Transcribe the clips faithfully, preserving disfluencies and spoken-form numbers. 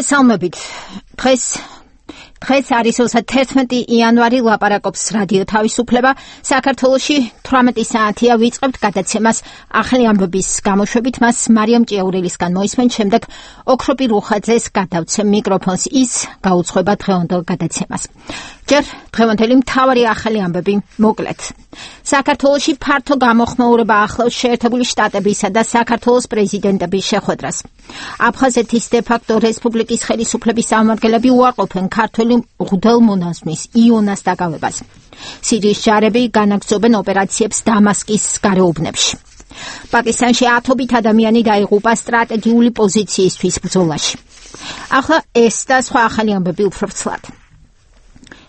მოგესალმებით. დღეს დღეს არის თერთმეტი იანვარი, ლაპარაკობს რადიო თავისუფლება. საქართველოში თვრამეტი საათია ვიწყებთ გადაცემას ახალი ამბების გამოშვებით. მას მარიამ ჭიაურელისგან მოისმენთ, შემდეგ ოქროპი რუხაძეს გადავცემ მიკროფონს, ის გაუძღვება დღევანდელ გადაცემას. ჯერ დღევანდელი მთავარი ახალი ამბები მოკლედ. საქართველოში ფართო გამოხმაურება ახლავს შეერთებული შტატებისა და საქართველოს პრეზიდენტების შეხვედრას. აფხაზეთის დე-ფაქტო რესპუბლიკის ხელისუფლების წარმომადგენლები უარყოფენ ქართველი მღვდელმონაზვნის იონას დაკავებას. სირიის ჯარები განაგრძობენ ოპერაციებს დამასკის გარეუბნებში. პაკისტანში ათობით ადამიანი დაიღუპა სტრატეგიული პოზიციისთვის ბრძოლაში. ახლა ეს და სხვა ახალი ამბები უფრო ვრცლად.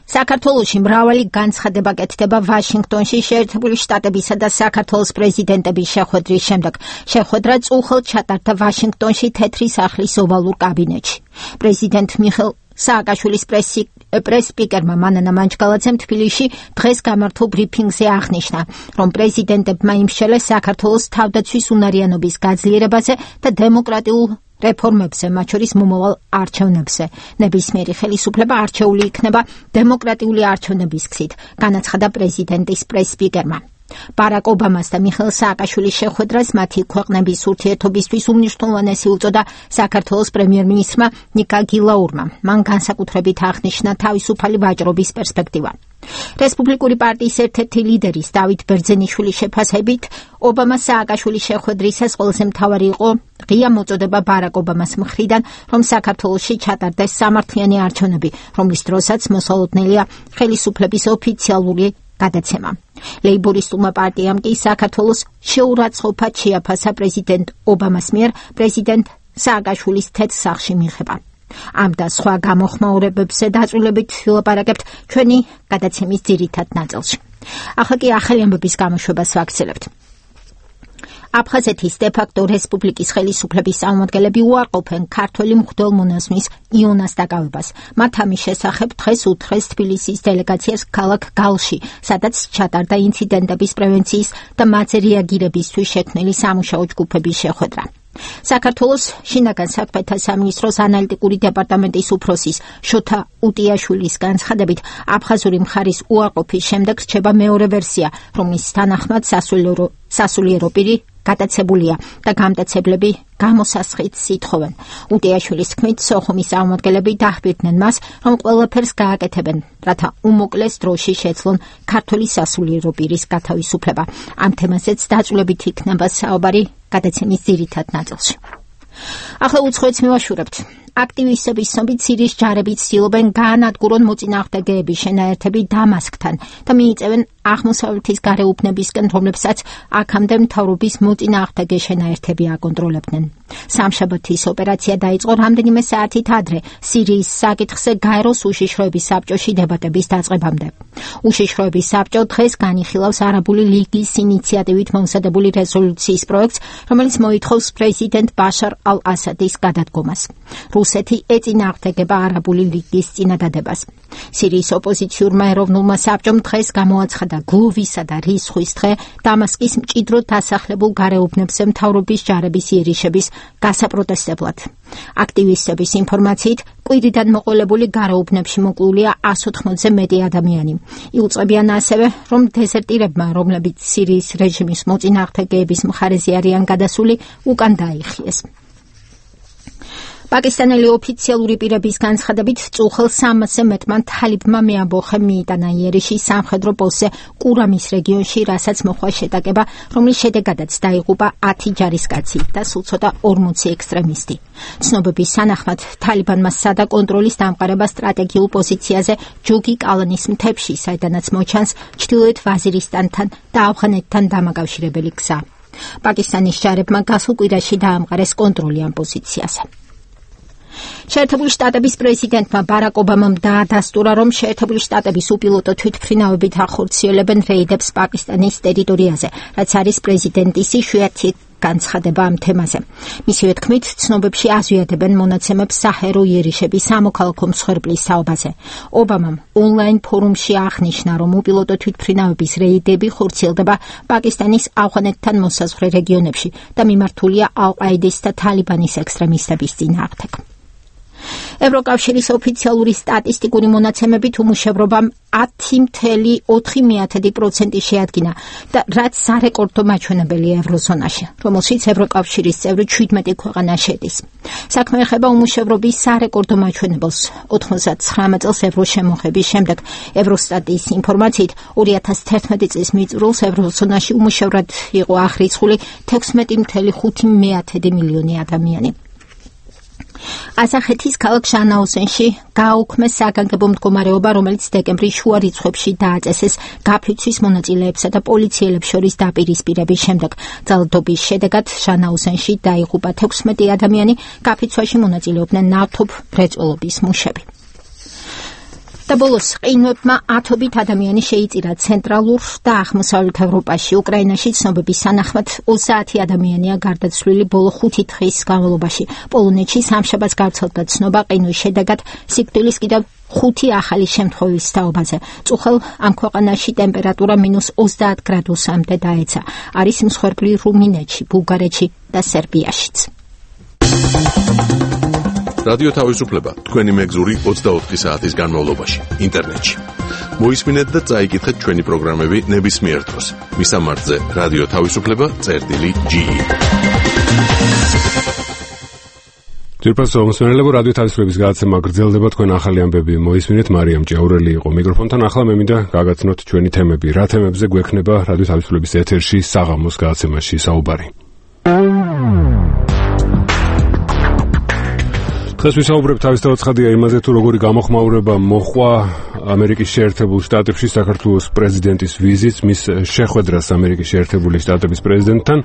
საქართველოში მრავალი განცხადება კეთდება ვაშინგტონში შეერთებული შტატებისა და საქართველოს პრეზიდენტების შეხვედრის შემდეგ. შეხვედრა წუხელ ჩატარდა ვაშინგტონში თეთრი სახლის ოვალურ კაბინეტში. პრეზიდენტ მიხეილ სააკაშვილის პრეს-სპიკერმა მანანა მანჯგალაძემ თბილისში დღეს გამართულ ბრიფინგზე აღნიშნა, რომ პრეზიდენტებმა იმსჯელეს საქართველოს თავდაცვის უნარიანობის გაძლიერებაზე და დემოკრატიულ რეფორმებზე, მათ შორის მომავალ არჩევნებზე. ნებისმიერი ხელისუფლება არჩეული იქნება დემოკრატიული არჩევნების გზით, განაცხადა პრეზიდენტის პრეს-სპიკერმა. ბარაკ ობამას და მიხეილ სააკაშვილის შეხვედრას მათი ქვეყნების ურთიერთობისთვის უმნიშვნელოვანესი უწოდა საქართველოს პრემიერ-მინისტრმა ნიკა გილაურმა. მან განსაკუთრებით აღნიშნა თავისუფალი ვაჭრობის პერსპექტივა. რესპუბლიკური პარტიის ერთ-ერთი ლიდერის დავით ბერძენიშვილის შეფასებით, ობამა სააკაშვილის შეხვედრისას ყველაზე მთავარი იყო ღია მოწოდება ბარაკ ობამას მხრიდან, რომ საქართველოში ჩატარდეს სამართლიანი არჩევნები, რომლის დროსაც მოსალოდნელია ხელისუფლების ოფიციალური გადაცემა. ლეიბორისტულმა პარტიამ კი საქართველოს შეურაცხყოფად შეაფასა პრეზიდენტ ობამას მიერ პრეზიდენტ სააკაშვილის თეთრ სახლში მიღება. ამ და სხვა გამოხმაურებებზე დაწვრილებით ვილაპარაკებთ ჩვენი გადაცემის ძირითად ნაწილში. ახლა კი ახალი ამბების გამოშვებას ვაგრძელებთ. აფხაზეთის დე-ფაქტო რესპუბლიკის ხელისუფლების წარმომადგენლები უარყოფენ ქართველი მღვდელმონაზვნის იონას დაკავებას. მათ ამის შესახებ დღეს უთხრეს თბილისის დელეგაციას ქალაქ გალში, სადაც ჩატარდა ინციდენტების პრევენციის და მათზე რეაგირებისთვის შექმნილი სამუშაო ჯგუფების შეხვედრა. საქართველოს შინაგან საქმეთა სამინისტროს ანალიტიკური დეპარტამენტის უფროსის შოთა უტიაშვილის განცხადებით, აფხაზური მხარის უარყოფის შემდეგ რჩება მეორე ვერსია, რომლის თანახმად სასულიერო პირი გადაცებულია და გამტაცებლები გამოსასხიდს ითხოვენ. უტიაშვილის თქმით, სოხუმის წარმომადგენლები დაჰბირდნენ მას, რომ ყველაფერს გააკეთებენ, რათა უმოკლეს დროში შეძლონ ქართველი სასულიერო პირის გათავისუფლება. ამ თემაზეც დაწვრილებით იქნება საუბარი გადაცემის ძირითად ნაწილში. ახლა უცხოეთს მივაშურებთ. აქტივისტების ცნობით, სირიის ჯარები ცდილობენ გაანადგურონ მოწინააღმდეგეების შენაერთები დამასკთან და მიიწევენ აღმოსავლეთის გარეუბნებისკენ, რომლებსაც აქამდე მთავრობის მოწინააღმდეგე შენაერთები აკონტროლებდნენ. სამშაბათის ოპერაცია დაიწყო რამდენიმე საათით ადრე სირიის საკითხზე გაეროს უშიშროების საბჭოში დებატების დაწყებამდე. უშიშროების საბჭო დღეს განიხილავს არაბული ლიგის ინიციატივით მომზადებული რეზოლუციის პროექტს, რომელიც მოითხოვს პრეზიდენტ ბაშარ ალ-ასადის გადადგომას. რუსეთი ეწინააღმდეგება არაბული ლიგის წინადადებას. სირიის ოპოზიციურმა ეროვნულმა საბჭომ დღეს გამოაცხადა გლუვისა და რისხვის დღე დამასკის მჭიდროდ დასახლებულ გარეუბნებზე მთავრობის ჯარების იერიშების გასაპროტესტებლად. აქტივისტების ინფორმაციით, კვირიდან მოყოლებული გარეუბნებში მოკლულია ას ოთხმოცზე მეტი ადამიანი. იუწყებიან ასევე, რომ დეზერტირებმა, რომლებიც სირიის რეჟიმის მოწინააღმდეგეების მხარეზე არიან გადასული, უკან დაიხიეს. პაკისტანელი ოფიციალური პირების განცხადებით, წუხელ სამასზე მეტმა თალიბმა მეამბოხე მიიტანა იერიში სამხედრო პოსტზე კურამის რეგიონში, რასაც მოხდა შეტაკება, რომლის შედეგადაც დაიღუპა ათი ჯარისკაცი და სულ ცოტა ორმოცი ექსტრემისტი. ცნობების თანახმად, თალიბანმა სცადა კონტროლის დამყარება სტრატეგიულ პოზიციაზე ჯოგი კალანის მთებში, საიდანაც მოჩანს ჩრდილოეთ ვაზირისტანთან და ავღანეთთან დამაკავშირებელი გზა. პაკისტანის ჯარებმა გასულ კვირაში დაამყარეს კონტროლი ამ პოზიციაზე. შეერთებული შტატების პრეზიდენტმა ბარაკ ობამამ დაადასტურა, რომ შეერთებული შტატების უპილოტო თვითმფრინავებით ახორციელებენ რეიდებს პაკისტანის ტერიტორიაზე, რაც არის პრეზიდენტის იშვიათი განცხადება ამ თემაზე. მისივე თქმით, ცნობებში აზვიადებენ მონაცემებს საჰერო იერიშების სამოქალაქო მსხვერპლის თაობაზე. ობამამ ონლაინ ფორუმში აღნიშნა, რომ უპილოტო თვითმფრინავების რეიდები ხორციელდება პაკისტანის ავღანეთთან მოსაზღვრე რეგიონებში და მიმართულია ალ-ყაიდის და თალიბანის ექსტრემისტების წინააღმდეგ. ევროკავშირის ოფიციალური სტატისტიკური მონაცემებით უმუშევრობამ ათი წუთი ოთხი პროცენტი შეადგინა და რაც სარეკორდო მაჩვენებელია ევროზონაში, რომელშიც ევროკავშირის წევრი შვიდმეტი ქვეყანა შედის. საქმე ეხება უმუშევრობის სარეკორდო მაჩვენებელს. ოცდაათი წელს ევროს შემოღების შემდეგ ევროსტატის ინფორმაციით ორი ათას თერთმეტი წლის მიწურულს ევროზონაში უმუშევრად იყო აღრიცხული თექვსმეტი წუთი ხუთი მილიონი ადამიანი. ასახეთის ქალაქ ჟანაუსენში გააუქმეს საგანგებო მდგომარეობა, რომელიც დეკემბრის შუა რიცხვებში დააწესეს გაფიცვის მონაწილეებსა და პოლიციელებს შორის დაპირისპირების შემდეგ. ძალადობის შედეგად ჟანაუსენში დაიღუპა თექვსმეტი ადამიანი, გაფიცვაში მონაწილეობდნენ ნავთობ მრეწველობის მუშები. და ბოლოს ყინვებმა ათობით ადამიანი შეიწირა ცენტრალურ და აღმოსავლეთ ევროპაში. უკრაინაში ცნობების სანახმად ოცდაათი ადამიანია გარდაცვლილი ბოლო ხუთი დღის განმავლობაში. პოლონეთში სამშაბათს გავრცელდა ცნობა ყინვის შედეგად სიკვდილის კიდევ ხუთი ახალი შემთხვევის თაობაზე. წუხელ ამ ქვეყანაში ტემპერატურა მინუს ოცდაათ გრადუსამდე დაეცა. არის მსხვერპლი რუმინეთში, ბულგარეთში და სერბიაშიც. რადიო თავისუფლება თქვენი მეგზური ოცდაოთხი საათის განმავლობაში ინტერნეტში. მოისმინეთ და წაიკითხეთ ჩვენი პროგრამები ნებისმიერ დროს. მისამართზე რადიო თავისუფლება წერტილი ჯი. ძირფასო მოსმენელებო, რადიო თავისუფლების გადაცემა გრძელდება, თქვენ ახალი ამბები მოისმინეთ. მარიამ ჭიაურელი იყო მიკროფონთან. ახლა მე მინდა გაგაცნოთ ჩვენი თემები. რა თემებზე გვექნება რადიო თავისუფლების ეთერში საღამოს გადაცემაში საუბარი. დღეს ვისაუბრებთ თავის თავაცხადია იმაზე, თუ როგორი გამოხმაურება მოჰყვა ამერიკის შეერთებულ შტატებში საქართველოს პრეზიდენტის ვიზიტს, მის შეხვედრას ამერიკის შეერთებული შტატების პრეზიდენტთან.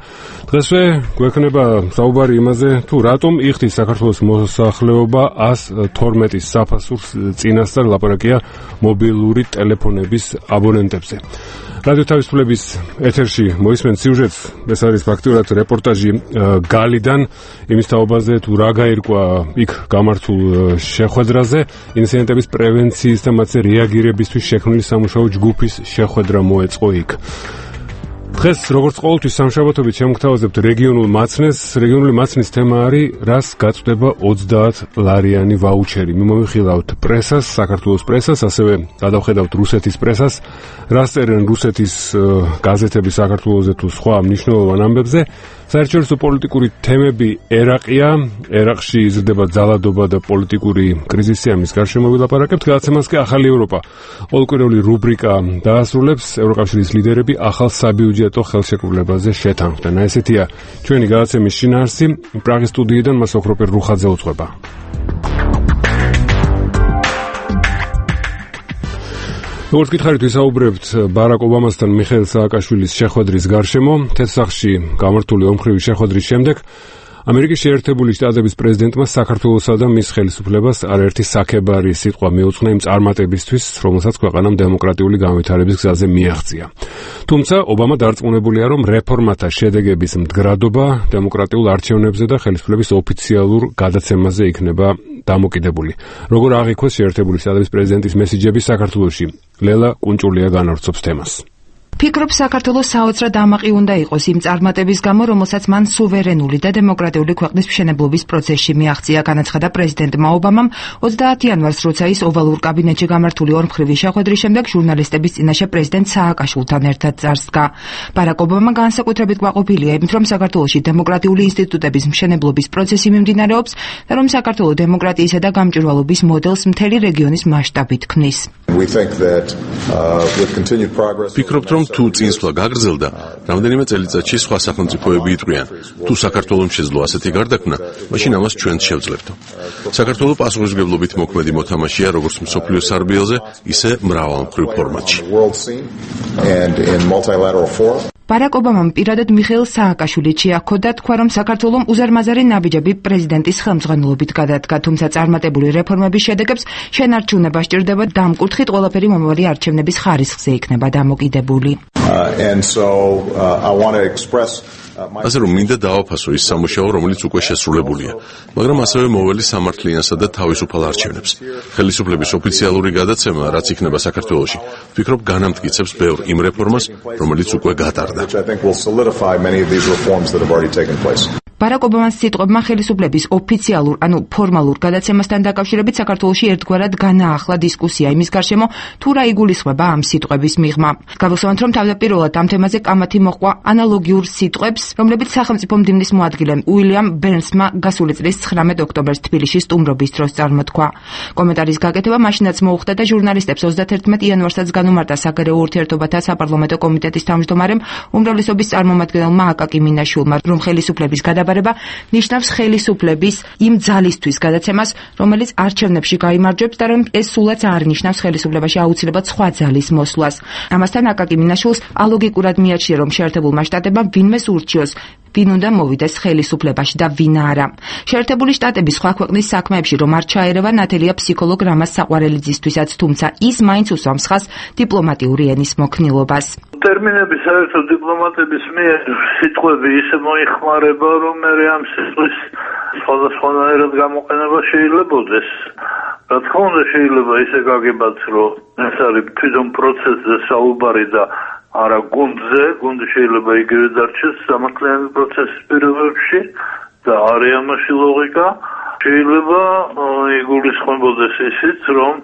დღესვე გვექნება საუბარი იმაზე, თუ რატომ იხდის საქართველოს მოსახლეობა ას თორმეტი საფასურს წინასწარ ლაპარაკია მობილური ტელეფონების აბონენტებზე. რადიო თავისუფლების ეთერში მოისმენთ სიუჟეტს, ეს არის ფაქტიურად რეპორტაჟი გალიდან, იმის თაობაზე, თუ რა გაირკვა იქ გამართულ შეხვედრაზე, ინციდენტების პრევენციის და მათზე რეაგირებისთვის შექმნილი სამუშაო ჯგუფის შეხვედრა მოეწყო იქ. დღეს, როგორც ყოველთვის სამშაბათობით შემოგთავაზებთ რეგიონულ მაცნეს. რეგიონული მაცნის თემა არის, რას გაწვდება ოცდაათ ლარიანი ვაუჩერი. მიმოვიხილავთ პრესას, საქართველოს პრესას, ასევე გადავხედავთ რუსეთის პრესას, რას წერენ რუსეთის გაზეთები საქართველოზე თუ სხვა მნიშვნელოვან ამბებზე. საერთაშორისო პოლიტიკური თემები ერაყია, ერაყში იზრდება ძალადობა და პოლიტიკური კრიზისი, ამის გარშემო ვილაპარაკებთ. გადაცემას კი ახალი ევროპა ყოველკვირეული რუბრიკა დაასრულებს. ევროკავშირის ლიდერები ახალ საბიუჯეტო ხელშეკრულებაზე შეთანხმდნენ. ესეთია ჩვენი გადაცემის შინაარსი. პრაღის სტუდიიდან მას ოქროპერ რუხაძე უწყება. როგორც გითხარით, ვისაუბრებთ ბარაკ ობამასთან მიხეილ სააკაშვილის შეხვედრის გარშემო. თეთრსახში გამართული ომხრივი შეხვედრის შემდეგ ამერიკის შეერთებული შტატების პრეზიდენტმა საქართველოსა და მის ხელისუფლებას არაერთი საქებარი სიტყვა მიუძღვნა იმ წარმატებისთვის, რომელსაც ქვეყანამ დემოკრატიული განვითარების გზაზე მიაღწია. თუმცა ობამა დარწმუნებულია, რომ რეფორმათა შედეგების მდგრადობა დემოკრატიულ არჩევნებზე და ხელისუფლების ოფიციალურ გადაცემაზე იქნება დამოკიდებული. როგორ აღიქვეს შეერთებული შტატების პრეზიდენტის მესიჯები საქართველოში? ლელა კუნჭულია განავრცობს თემას. ფიქრობ, საქართველოს საოცრად ამაყი უნდა იყოს იმ წარმატების გამო, რომელსაც მან სუვერენული და დემოკრატიული ქვეყნის მშენებლობის პროცესში მიაღწია, განაცხადა პრეზიდენტმა ობამამ ოცდაათი იანვარს, როცა ის ოვალურ კაბინეტში გამართული ორმხრივი შეხვედრის შემდეგ ჟურნალისტების წინაშე პრეზიდენტ სააკაშვილთან ერთად წარსდგა. ბარაკ ობამა განსაკუთრებით კმაყოფილია იმით, რომ საქართველოში დემოკრატიული ინსტიტუტების მშენებლობის პროცესი მიმდინარეობს და რომ საქართველოს დემოკრატიისა და გამჭვირვალობის მოდელს მთელი რეგიონის მასშტაბით ქმნის. ფიქრობთ, რომ თუ წინსვლა გაგრძელდა, რამდენიმე წელიწადში სხვა სახელმწიფოები იტყვიან, თუ საქართველოს შეძლო ასეთი გარდაქმნა, მაშინ ამას ჩვენც შევძლებთო. საქართველოს პასუხისმგებლობით მოქმედი მოთამაშეა როგორც მსოფლიოს სარბიელზე, ისე მრავალმხრივ ფორმატში. ბარაკ ობამამ პირადად მიხეილ სააკაშვილით შეაქო და თქვა, რომ საქართველოს უზარმაზარი ნაბიჯები პრეზიდენტის ხელმძღვანელობით გადადგა, თუმცა წარმატებული რეფორმების შედეგებს შენარჩუნება სჭირდება და ამ კუთხით ყველაფერი მომავალი არჩევნების ხარისხზე იქნება დამოკიდებული. ასე რომ მინდა დავაფასო ის სამუშაო, რომელიც უკვე შესრულებულია, მაგრამ ასევე მოვლი სამართლიანსა და თავისუფალ არჩევნებს. ხელისუფლების ოფიციალური გადაცემა, რაც იქნება საქართველოში, ვფიქრობ განამტკიცებს ბევრ იმ რეფორმას, რომელიც უკვე გატარდა. ბარაკ ობამას სიტყვებმა ხელისუფლების ოფიციალურ, ანუ ფორმალურ გადაცემასთან დაკავშირებით საქართველოში ერთგვარად განაახლა დისკუსია იმის გარშემო, თუ რა იგულისხმება ამ სიტყვების მიღმა. Გავიხსენოთ, რომ თავდაპირველად ამ თემაზე კამათი მოჰყვა ანალოგიურ სიტყვებს, რომლებიც სახელმწიფო მდივნის მოადგილემ უილიამ ბერნსმა გასული წლის ცხრამეტ ოქტომბერს თბილისში სტუმრობის დროს წარმოთქვა. კომენტარის გაკეთება მაშინაც მოუხდა და ჟურნალისტებს ოცდათერთმეტ იანვარსაც განუმარტა საგარეო ურთიერთობათა საპარლამენტო კომიტეტის თავმჯდომარემ უმრავლესობის წარმომადგენელმა აკაკი მინაშვილმა, რომ ხელისუფლების გადაბარება ნიშნავს ხელისუფლების იმ ძალისთვის გადაცემას, რომელიც არჩევნებში გაიმარჯვებს და რომ ეს სულაც არ ნიშნავს ხელისუფლებაში აუცილებლად სხვა ძალის მოსვლას. ამასთან აკაკი მინაშვილს ალოგიკურად მიაჩნია, რომ შეერთებულმა შტატებმა ვინმეს ურჩიოს, ვინ უნდა მოვიდეს ხელისუფლებაში და ვინ არა. შეერთებული შტატების სხვა ქვეყნის საქმეებში რომ არ ჩაერევა ნათელია ფსიქოლოგ რამაზ საყვარელიძისთვისაც, თუმცა ის მაინც უსვამს ხაზს დიპლომატიური ენის მოქნილობას. ტერმინები საერთოდ დიპლომატების მიერ სიტყვები ისე მოიხმარება, რომ მე ამ სიტყვის სხვადასხვანაირად გამოყენება შეიძლებაოდეს. რა თქმა უნდა შეიძლება ისე გაგებათ, რომ ეს არის თვითონ პროცესზე საუბარი და არა გუნდზე, გუნდი შეიძლება იგივე დარჩეს სამართლიანი პროცესის პირობებში და არის ამაში ლოგიკა. შეიძლება იგულისხმებოდეს ისიც, რომ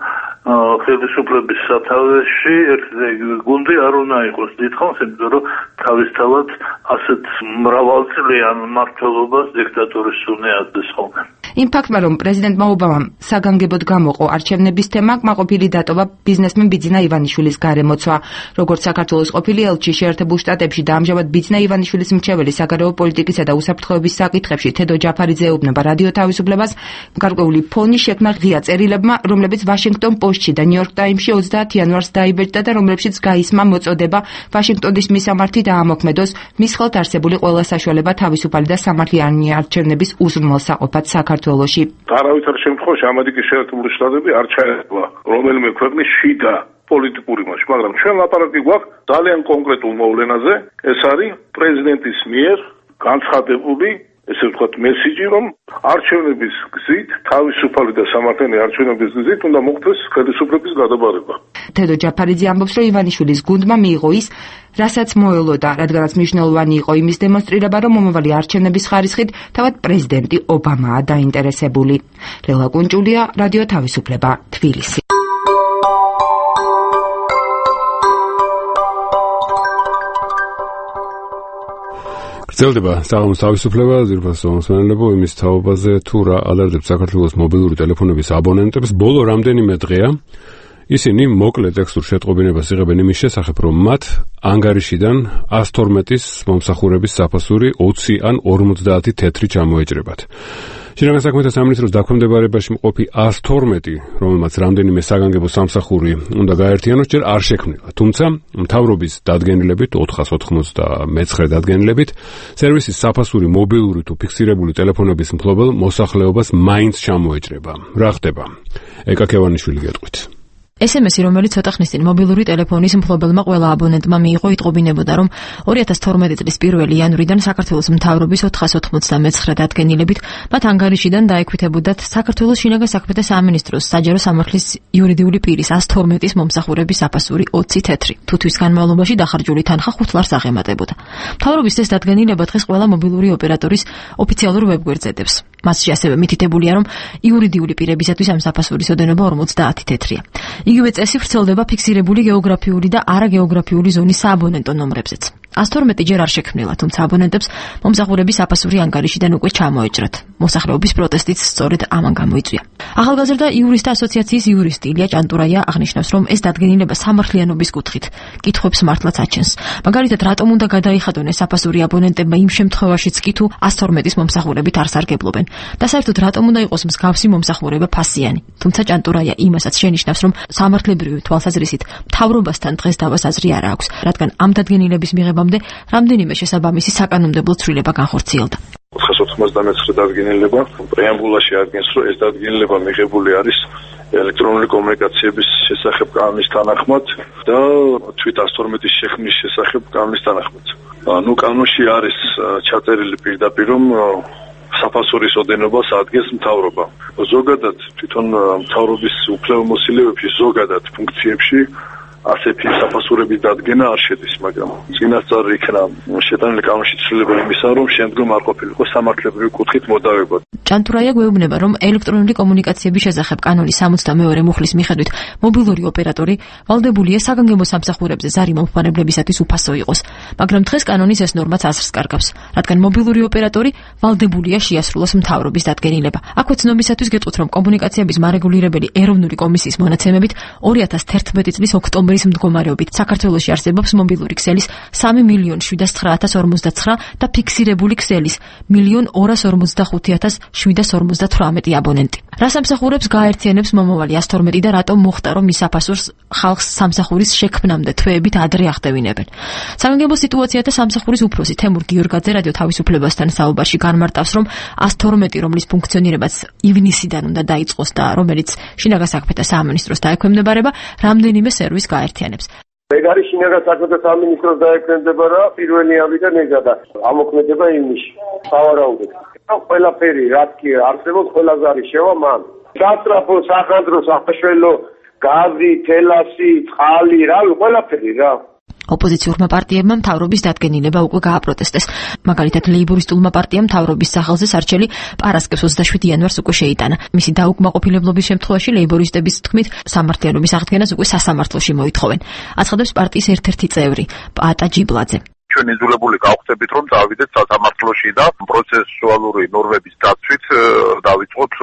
ხელისუფლების სათავეში ერთი გუნდი არ უნდა იყოს დიდხანს, იმიტომ რომ თავისთავად ასეთ მრავალწლიან მმართველობას დიქტატურის სუნი აწდეს ხოლმე. იმ ფაქტმა, რომ პრეზიდენტმა ობამამ საგანგებოდ გამოყო არჩევნების თემა, კმაყოფილი დატოვა ბიზნესმენ ბიძინა ივანიშვილის გარემოცვა. როგორც საქართველოს ყოფილი ელჩი შეერთებულ შტატებში და ამჟამად ბიძინა ივანიშვილის მრჩეველი საგარეო პოლიტიკისა და უსაფრთხოების საკითხებში თედო ჯაფარიძე ეუბნება რადიო თავისუფლებას, გარკვეული ფონი შექმნა ღია წერილებმა, რომლებიც ვაშინგტონ პოსტში და ნიუ-იორკ ტაიმსში ოცდაათ იანვარს დაიბეჭდა და რომლებშიც გაისმა მოწოდება ვაშინგტონის მისამართი დაამოქმედოს მის ხელთ არსებული ყველა საშუალება თავისუფალი და სამართლიანი არჩევნების უზრუნველსაყოფად საქართველოში. არავითარ შემთხვევაში ამერიკის შეერთებული შტატები არ ჩაერევა რომელიმე ქვეყნის შიდა პოლიტიკური მასში, მაგრამ ჩვენ ლაპარაკი გვაქვს ძალიან კონკრეტულ მოვლენაზე, ეს არის პრეზიდენტის მიერ განცხადებული ესე ვთქვათ მესიჯი, რომ არჩევნების გზით, თავისუფალი და სამართლიანი არჩევნების გზით უნდა მოხდეს ხელისუფლების გადაბარება. თედო ჯაფარიძე ამბობს, რომ ივანიშვილის გუნდმა მიიღო ის, რასაც მოელოდა, რადგანაც მნიშვნელოვანი იყო იმის დემონსტრირება, რომ მომავალი არჩევნების ხარისხით თავად პრეზიდენტი ობამაა დაინტერესებული. ლელა კუნჭულია, რადიო თავისუფლება, თბილისი. გრძელდება საღამოს თავისუფლება, ძირფასო მსმენელებო, იმის თაობაზე თუ რა ალერტებს საქართველოს მობილური ტელეფონების აბონენტებს. ბოლო რამდენიმე დღეა ისინი მოკლე ტექსტურ შეტყობინებას იღებენ იმის შესახებ, რომ მათ ანგარიშიდან ას თორმეტის მომსახურების საფასური ოცი ან ორმოცდაათი თეთრი ჩამოეჭრებათ. შინაგან საქმეთა სამინისტროს დაქვემდებარებაში მყოფი ას თორმეტი, რომელმაც რამდენიმე საგანგებო სამსახური უნდა გაერთიანოს, ჯერ არ შექმნილა. თუმცა მთავრობის დადგენილებით, ოთხას ოთხმოცდამეცხრე დადგენილებით, სერვისის საფასური მობილური თუ ფიქსირებული ტელეფონების მფლობელ მოსახლეობას მაინც ჩამოეჭრება. რა ხდება? ეკა ქევანიშვილი გეტყვით. ეს em es-ი, რომელიც ცოტა ხნის წინ მობილური ტელეფონის მფლობელმა ყველა აბონენტმა მიიღო, იტყობინებოდა, რომ ორი ათას თორმეტი წლის პირველი იანვრიდან საქართველოს მთავრობის ოთხას ოცდამეცხრე დადგენილებით მათ ანგარიშიდან დაექვითებოდათ საქართველოს შინაგან საქმეთა სამინისტროს საჯარო სამართლის იურიდიული პირის ას თორმეტის მომსახურების საფასური ოცი თეთრი. თუ თვის განმავლობაში დახარჯული თანხა ხუთ ლარს აღემატებოდა. მთავრობის ეს დადგენილება დღეს ყველა მობილური ოპერატორის ოფიციალურ ვებგვერდზე დევს. მასში ასევე მითითებულია, რომ იურიდიული პირებისათვის ამ საფასურის ოდენობა ორმოცდაათი თეთრია. იგივე წესი ვრცელდება ფიქსირებული გეოგრაფიული და არაგეოგრაფიული ზონის სააბონენტო ნომრებზეც. ას თორმეტი ჯერ არ შექმნილა, თუმცა აბონენტებს მომსახურების საფასური ანგარიშიდან უკვე ჩამოეჭრათ. მოსახლეობის პროტესტიც სწორედ ამან გამოიწვია. ახალგაზრდა იურისტთა ასოციაციის იურისტი ილია ჭანტურაია აღნიშნავს, რომ ეს დადგენილება სამართლიანობის კუთხით კითხვებს მართლაც აჩენს. მაგალითად, რატომ უნდა გადაიხადონ ეს საფასური აბონენტებმა იმ შემთხვევაშიც კი თუ ას თორმეტის მომსახურებით არ სარგებლობენ და საერთოდ რატომ უნდა იყოს მსგავსი მომსახურება ფასიანი. თუმცა ჭანტურაია იმასაც შენიშნავს, რომ სამართლებრივი თვალსაზრისით მთავრობასთან დღეს დავას აზრი არ აქვს, რადგან ამ დადგენილების მიღება რამდენიმე შესაბამისი საკანონმდებლო ცვლილება განხორციელდა. ოთხას ოცდამეცხრე დადგენილება პრეამბულაში ადგენს, რომ ეს დადგენილება მიღებული არის ელექტრონული კომუნიკაციების შესახებ კანონის თანახმად და თვით ას თორმეტის შექმნის შესახებ კანონის თანახმად. ნუ კანონში არის ჩაწერილი პირდაპირ, რომ საფასურის ოდენობას ადგენს მთავრობა. ზოგადად თვითონ მთავრობის უფლებამოსილებში ზოგადად ფუნქციებში ასეთი საფასურების დადგენა არ შედის, მაგრამ წინასწარ იქნა შეტანილი კანონში ცვლილება იმისა, რომ შემდგომ არ ყოფილიყო სამართლებრივი კუთხით მოდავება. ჭანტურაია გვეუბნება, რომ ელექტრონული კომუნიკაციების შესახებ კანონის სამოცდამეორე მუხლის მიხედვით მობილური ოპერატორი ვალდებულია საგანგებო სამსახურებზე ზარი მომხმარებლებისათვის უფასო იყოს, მაგრამ დღეს კანონის ეს ნორმაც აზრს კარგავს, რადგან მობილური ოპერატორი ვალდებულია შეასრულოს მთავრობის დადგენილება. აქვე ცნობისათვის გეტყვით, რომ კომუნიკაციების მარეგულირებელი ეროვნული კომისიის მონაცემებით ორი ათას თერთმეტი წლის ოქტომბრის მდგომარეობით საქართველოში არსებობს მობილური ქსელის სამი მილიონი შვიდას ცხრა ათას ორმოცდაცხრა და ფიქსირებული ქსელის მილიონ ორას ორმოცდახუთი ათას შვიდას ორმოცდათვრამეტი აბონენტი. რა სამსახურებს გააერთიანებს მომავალი ას თორმეტი და რატომ მოხდა, რომ მის საფასურს ხალხს სამსახურის შექმნამდე თვეებით ადრე ახდევინებენ? საგანგებო სიტუაციათა სამსახურის უფროსი თემურ გიორგაძე რადიო თავისუფლებასთან საუბარში განმარტავს, რომ ას თორმეტი, რომლის ფუნქციონირებაც ივნისიდან უნდა დაიწყოს და რომელიც შინაგან საქმეთა სამინისტროს დაექვემდებარება, რამდენიმე სერვის გააერთიანებს. ეგ არის შინაგან საქმეთა სამინისტროს დაექვემდებარა პირველი ამიდან ეგა და ამოქმედება ივნისში. სავარაუდოდ. ყველაფერი რაც კი არსებობს, ყველაზე არის შევა მან. სასტრაფო, სახანძრო, საფაშველო, გაზი, თელასი, წყალი, რავი, ყველაფერი რა. ოპოზიციურმა პარტიებმა მთავრობის დადგენილება უკვე გააპროტესტეს. მაგალითად, ლეიბორისტულმა პარტიამ მთავრობის სახელზე სარჩელი პარასკევს ოცდაშვიდი იანვარს უკვე შეიტანა. მისი დაუკმაყოფილებლობის შემთხვევაში ლეიბორისტების თქმით, სამართლიანობის აღდგენას უკვე სასამართლოში მოითხოვენ. აცხადებს პარტიის ერთ-ერთი წევრი, პაატა ჯიბლაძე. ჩვენ იძულებული გავხდებით, რომ წავიდეთ სასამართლოში და პროცესუალური ნორმების დაცვით დავიწყოთ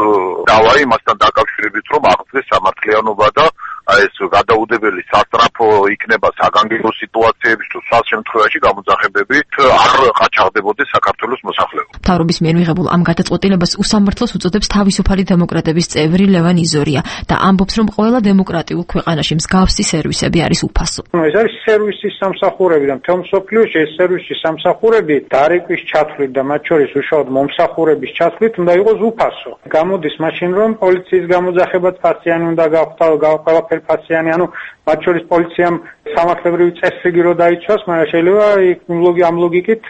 დავა იმასთან დაკავშირებით, რომ აღდგეს სამართლიანობა და ეს გადაუდებელი სასტრაფო იქნება საგანგებო სიტუაციების თუ სხვა შემთხვევაში გამოძახებებით არ ყაჩაღდებოდეს საქართველოს მოსახლეობა. მთავრობის მიერ მიღებულ ამ გადაწყვეტილებას უსამართლოს უწოდებს თავისუფალი დემოკრატების წევრი ლევან იზორია და ამბობს, რომ ყველა დემოკრატიულ ქვეყანაში მსგავსი სერვისები არის უფასო. ეს არის სერვისის სამსახურები და მთელ მსოფლიოში ეს სერვისის სამსახურები დარეკვის ჩათვლით და მათ შორის უშუალოდ მომსახურების ჩათვლით უნდა იყოს უფასო. გამოდის მაშინ, რომ პოლიციის გამოძახებაც ფასიანი უნდა გავხდას, გავყავ ფასიანი, ანუ მათ შორის პოლიციამ სამართლებრივი წესრიგი რო დაიცვას, მაგრამ შეიძლება ამ ლოგიკით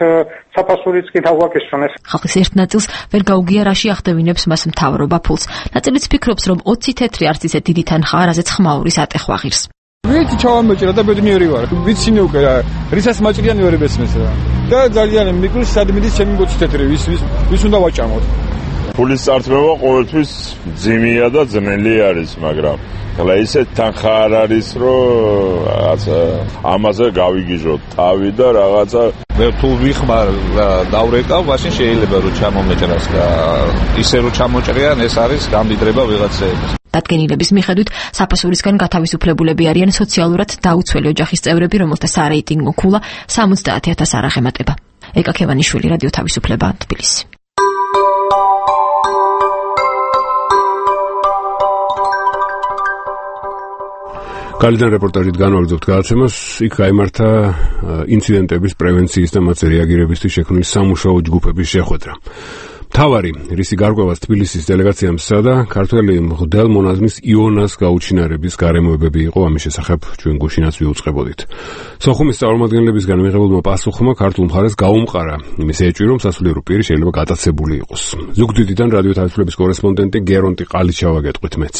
საფასურიც კი დავაკისრონ. ხალხის ერთ ნაწილს ვერ გაუგია რაში ახდევინებს მას მთავრობა ფულს. ნაწილიც ფიქრობს, რომ ოცი თეთრი არც ისე დიდი თანხა, რაზეც ხმაურის ატეხვა ღირს. ვიცი ჩავამოჭრა და ბედნიერი ვარ. ვიცინე უკვე რა, რისას მაჭრიანი ვერ ebesmes რა. და ძალიან მიგრს სადმიდის ჩემი ოცი თეთრი, ვის ვის ვის უნდა ვაჭამოთ. ფულის წარწმევა ყოველთვის ძიმია და ძნელი არის, მაგრამ ხლა ისე თანხა არ არის, რომ რაღაცა ამაზე გავიგიჟოთ თავი და რაღაცა მე თუ ვიხმარ დავრეკავ, მაშინ შეიძლება რომ ჩამომეჭრას და ისე რომ ჩამოჭრიან, ეს არის გამდიდრება ვიღაცეების. დადგენილების მიხედვით საფასურისგან გათავისუფლებულები არიან სოციალურად დაუცველი ოჯახის წევრები, რომელთა სარეიტინგო ქულა სამოცდაათი ათას არ აღემატება. ეკა ქევანიშვილი, რადიო თავისუფლება, თბილისი. კალიდან რეპორტაჟით განვაგრძობთ გადაცემას. იქ გაიმართა ინციდენტების პრევენციის და მათზე რეაგირებისთვის შექმნილი სამუშაო ჯგუფების შეხვედრა. მთავარი რისი გარკვევას თბილისის დელეგაციამ სცადა ქართველი მღვდელ მონაზმის იონას გაუჩინარების გარემოებები იყო, ამის შესახებ ჩვენ გუშინაც ვიუწყებოდით. სოხუმის წარმომადგენლებისგან მიღებულმა პასუხმა ქართულ მხარეს გაუმყარა იმის ეჭვი, რომ სასულიერო პირი შეიძლება გატაცებული იყოს. ზუგდიდიდან რადიო თავისუფლების კორესპონდენტი გერონტი ყალიჩავა გეტყვით მეც.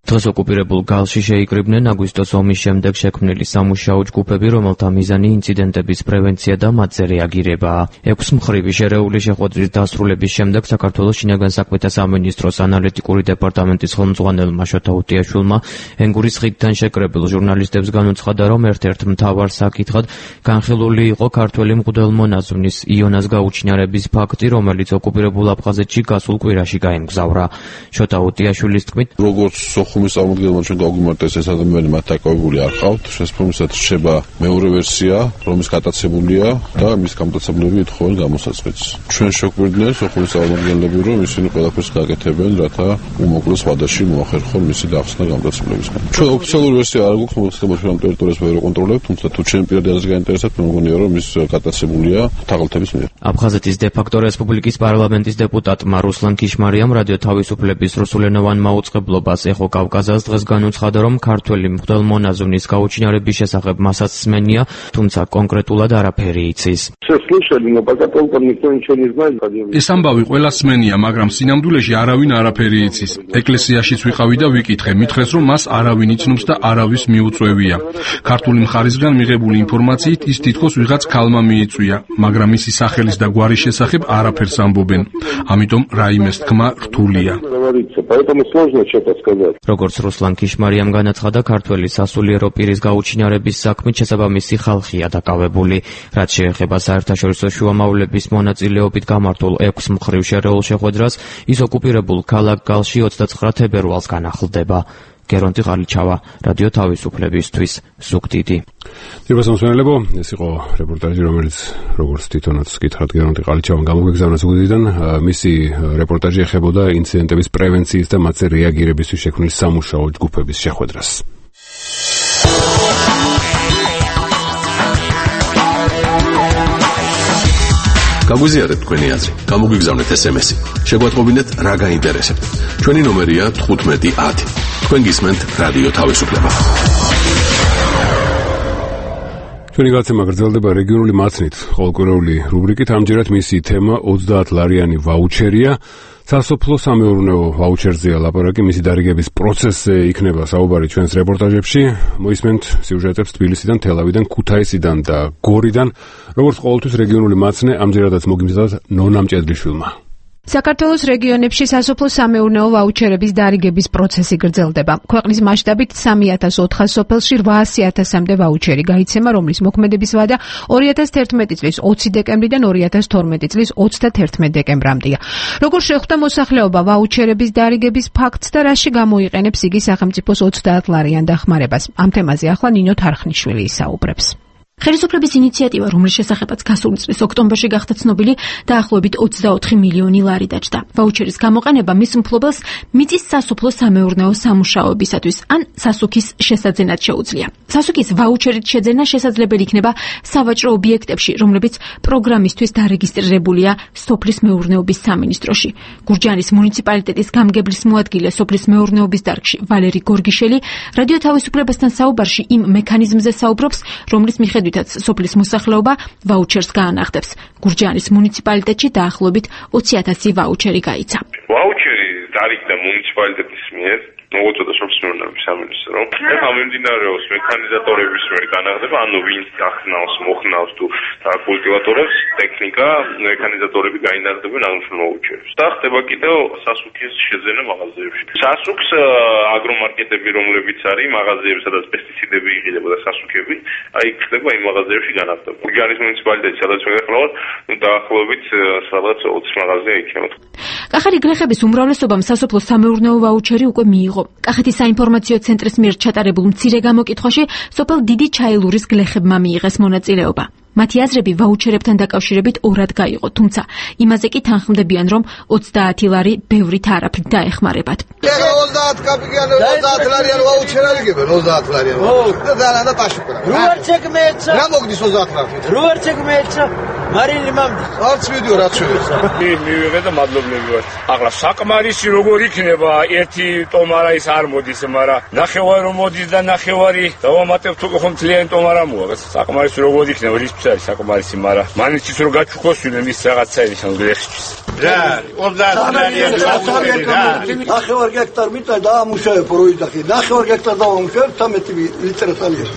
დღეს ოკუპირებულ გალში შეიკრიბნენ აგვისტოს ომის შემდეგ შექმნილი სამუშაო ჯგუფები, რომელთა მიზანი ინციდენტების პრევენცია და მათზე რეაგირებაა. ექვსმხრივი შერეული შეხვედრის დასრულების შემდეგ საქართველოს შინაგან საქმეთა სამინისტროს ანალიტიკური დეპარტამენტის ხელმძღვანელმა შოთა უტიაშვილმა ენგურის ხიდთან შეკრებილ ჟურნალისტებს განუცხადა, რომ ერთ-ერთ მთავარ საკითხად განხილული იყო ქართველი მღვდელმონაზმის იონას გაუჩინარების ფაქტი, რომელიც ოკუპირებულ აფხაზეთში გასულ კვირაში გაემგზავრა. შოთა უტიაშვილის თქმით, როგორც ხუმის წარმომადგენელმა ჩვენ გაგვიმარტეს ეს ადამიანი მათ დაკავებული არ ყავთ, შესაბამისად რჩება მეორე ვერსია, რომის გატაცებულია და მის გამტაცებლები ითხოვენ გამოსაწყეთს. ჩვენ შევგვირდნენ ხუმის წარმომადგენლები, რომ ისინი ყველაფერს გაკეთებენ, რათა უმოკლეს ვადაში მოახერხონ მისი დახსნა გამტაცებლებისგან. ჩვენ ოფიციალური ვერსია არ გვაქვს, მოხდება ჩვენ ამ ტერიტორიას ვერ ვაკონტროლებთ, თუმცა თუ ჩვენ პირადი აზრი გაინტერესებთ, მე მგონია, რომ ის გატაცებულია თაღლითების მიერ. აფხაზეთის დე-ფაქტო რესპუბლიკის პარლამენტის დეპუტატმა რუსლან ქიშმარიამ რადიო თავისუფლების რუსულენოვან მაუწყებლობას ეხო კავკასიას დღეს განუცხადა, რომ ქართველი მღვდელმონაზონის გაუჩინარების შესახებ მასაც სმენია, თუმცა კონკრეტულად არაფერი იცის. ეს ამბავი ყველა სმენია, მაგრამ სინამდვილეში არავინ არაფერი იცის. ეკლესიაშიც ვიყავი და ვიკითხე, მითხრეს, რომ მას არავინ იცნობს და არავის მიუწვევია. ქართული მხარისგან მიღებული ინფორმაციით ის თითქოს ვიღაც ქალმა მიიწვია, მაგრამ მისი სახელის და გვარის შესახებ არაფერს ამბობენ. ამიტომ რაიმეს თქმა რთულია. როგორც რუსლან ქიშმარიამ განაცხადა, ქართველი სასულიერო პირის გაუჩინარების საქმით შესაბამისი ხალხია დაკავებული. რაც შეეხება საერთაშორისო შუამავლების მონაწილეობით გამართულ ექვს მხრივ შერეულ შეხვედრას, ის ოკუპირებულ ქალაქ გალში ოცდაცხრა თებერვალს განახლდება. გერონტი ყალიჩავა, რადიო თავისუფლებისთვის, ზუგდიდი. დიახ, მოსმენელებო, ეს იყო რეპორტაჟი, რომელიც როგორც თვითონაც გითხრათ გერონტი ყალიჩავამ გამოგვიგზავნა ზუგდიდიდან. მისი რეპორტაჟი ეხებოდა ინციდენტების პრევენციის და მათზე რეაგირებისთვის შექმნილი სამუშაო ჯგუფების შეხვედრას. გაგვიზიარეთ თქვენი აზრი, გამოგვიგზავნეთ ეს ემ ესი. შეგვატყობინეთ რა გაინტერესებთ. ჩვენი ნომერია თხუთმეტი ათი. თქვენ გისმენთ რადიო თავისუფლება. ჩვენი გაცემა გრძელდება რეგიონული მაცნით, ყოველკვირეული რუბრიკით. ამჯერად მისი თემა ოცდაათ ლარიანი ვაუჩერია. სასოფლო-სამეურნეო ვაუჩერზეა ლაპარაკი, მისი დარიგების პროცესზე იქნება საუბარი ჩვენს რეპორტაჟებში. მოისმენთ სიუჟეტებს თბილისიდან, თელავიდან, ქუთაისიდან და გორიდან. როგორც ყოველთვის რეგიონული მაცნე ამჯერადაც მოგიმზადოთ ნონა მჭედლიშვილმა. საქართველოს რეგიონებში სასოფლო-სამეურნეო ვაუჩერების დარიგების პროცესი გრძელდება. ქვეყნის მასშტაბით სამი ათას ოთხას სოფელში რვაასი ათასამდე ვაუჩერი გაიცემა, რომლის მოქმედების ვადა ორი ათას თერთმეტი წლის ოცი დეკემბრიდან ორი ათას თორმეტი წლის ოცდათერთმეტ დეკემბრამდეა. როგორ შეხვდა მოსახლეობა ვაუჩერების დარიგების ფაქტს და რაში გამოიყენებს იგი სახელმწიფოს ოცდაათ ლარიან დახმარებას? ამ თემაზე ახლა ნინო თარხნიშვილი ისაუბრებს. ხელისუფლების ინიციატივა, რომლის შესახებაც გასული წლის ოქტომბერში გახდა ცნობილი, დაახლოებით ოცდაოთხი მილიონი ლარი დაჯდა. ვაუჩერის გამოყენება მის მფლობელს მიწის სასოფლო-სამეურნეო სამუშაოებისათვის ან სასუქის შესაძენად შეუძლია. სასუქის ვაუჩერით შეძენა შესაძლებელი იქნება სავაჭრო ობიექტებში, რომლებიც პროგრამისთვის დარეგისტრირებულია სოფლის მეურნეობის სამინისტროში. გურჯაანის მუნიციპალიტეტის გამგებლის მოადგილე სოფლის მეურნეობის დარგში ვალერი გორგიშელი რადიო თავისუფლებასთან საუბარში იმ მექანიზმზე საუბრობს, რომლის მიხედვით სოფლის მოსახლეობა ვაუჩერს გაანახდებს. გურჯაანის მუნიციპალიტეტში დაახლოებით ოცი ათასი ვაუჩერი გაიცა. ვაუჩერი დარიგდა მუნიციპალიტეტის მიერ, მოგოწოდა სოფლის მეურნეობის სამინისტრო. ეხლა მიმდინარეობს მექანიზატორების მიერ განახდება, ანუ ვინც ახნავს, მოხნავს თუ კულტივატორებს, ტექნიკა, მექანიზატორები გაინახდებიან აღნიშნულ ვაუჩერებს. და ხდება კიდევ სასუქის შეძენა მაღაზიებში. სასუქს აგრომარკეტები, რომლებიც არის მაღაზიები, სადაც პესტიციდები იღიდება და სასუქები, აი ხდება იმ მაღაზიებში განახდება. გურჯაანის მუნიციპალიტეტში, სადაც მეგახლავთ, დაახლოებით სადაც ოცი მაღაზია იქნება. კახეთის გლეხების უმრავლესობამ სასოფლო-სამეურნეო ვაუჩერი უკვე მიიღო. კახეთის საინფორმაციო ცენტრის მიერ ჩატარებულ მცირე გამოკითხვაში სოფელ დიდი ჩაილურის გლეხებმა მიიღეს მონაწილეობა. მათი აზრები ვაუჩერებთან დაკავშირებით ორად გაიყო, თუმცა იმაზე კი თანხმდებიან, რომ ოცდაათი ლარი ბევრით არაფრით დაეხმარებათ. ოცდაათი კაპიკიანი, ოცდაათი ლარიანი ვაუჩერი არიგებენ, ოცდაათი ლარიანი. და ძალიანდა პაშუქა. რუარ ჩეკმეცა. რა მოგდის ოცდაათი ლარი? რუარ ჩეკმეცა. მარილი მამდის. არც ვიდეო რაც შევეცა. მე მივიღე და მადლობლები ვარ. ახლა საკმარისი როგორ იქნება, ერთი ტომარა ის არ მოდის, მაგრამ ნახევარი რომ მოდის და ნახევარი დავამატებ თუ ხომ თლიანი ტომარა მოაქვს. საკმარისი როგორ იქნება ის არის საკმარისი, მაგრამ მანიცის რო გაჩუქოსვიდნენ ის რაღაცა ის ამ გლეხისთვის. რა, ოცდაათი ლარიანი ვაუჩერი რა. ნახევარ გექტარ მიწა დაამუშავე პროექტი. ნახევარ გექტარ დაამუშავე თერთმეტი ლიტრი სალია.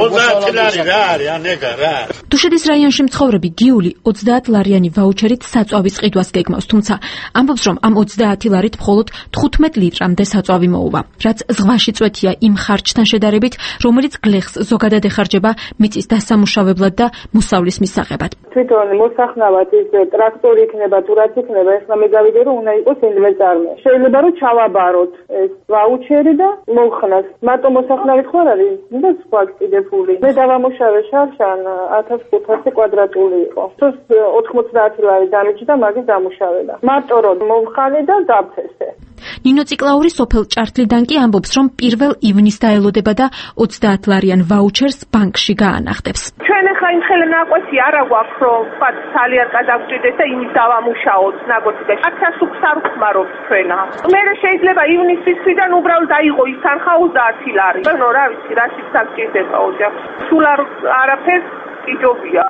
ოცდაათი ლარი რა არის, ანეგა რა. დუშეთის რაიონში მცხოვრები გიული ოცდაათ ლარიანი ვაუჩერით საწვავის ყიდვას გეგმავს, თუმცა ამბობს, რომ ამ ოცდაათი ლარით მხოლოდ თხუთმეტ ლიტრამდე საწვავი მოუვა, რაც ზღვაში წვეთია იმ ხარჯთან შედარებით, რომელიც გლეხს ზოგადად ეხარჯება მიწის დასამუშავებლად და მოსავლის მისაღებად. თვითონ მოსახნავად ის ტრაქტორი იქნება თუ რაც იქნება, ეხლა მე გავიგე რომ უნდა იყოს ინვესტარმე. შეიძლება რომ ჩავაბაროთ ეს ვაუჩერი და მოხნას. მარტო მოსახნავით ხარ არის და სხვა კიდებული. მე დავამუშავე შარშან ათას ხუთასი კვადრატული იყო. თუ ოთხმოცდაათი ლარი დამიჯდა მაგის დამუშავება. მარტო რომ მომხალე და დავთესე. ნინო ციკლაური სოფელ ჭართლიდან კი ამბობს, რომ პირველ ივნის დაელოდება და ოცდაათ ლარიან ვაუჩერს ბანკში გაანახტებს. ჩვენ ახლა იმ ხელე ნაკვეთი არა გვაქვს, რომ ვთქვათ, ძალიან გადავჭირდეს და იმის დავამუშაოთ ნაკვეთი და აქაც სუფს არ ხმარობს ჩვენა. მე შეიძლება ივნისის თვიდან უბრალოდ დაიღო ის თანხა ოცდაათი ლარი. ნუ რა ვიცი, რა სიცოცხლე გჭირდება ოჯახს. სულ არ არაფერს იჯობია.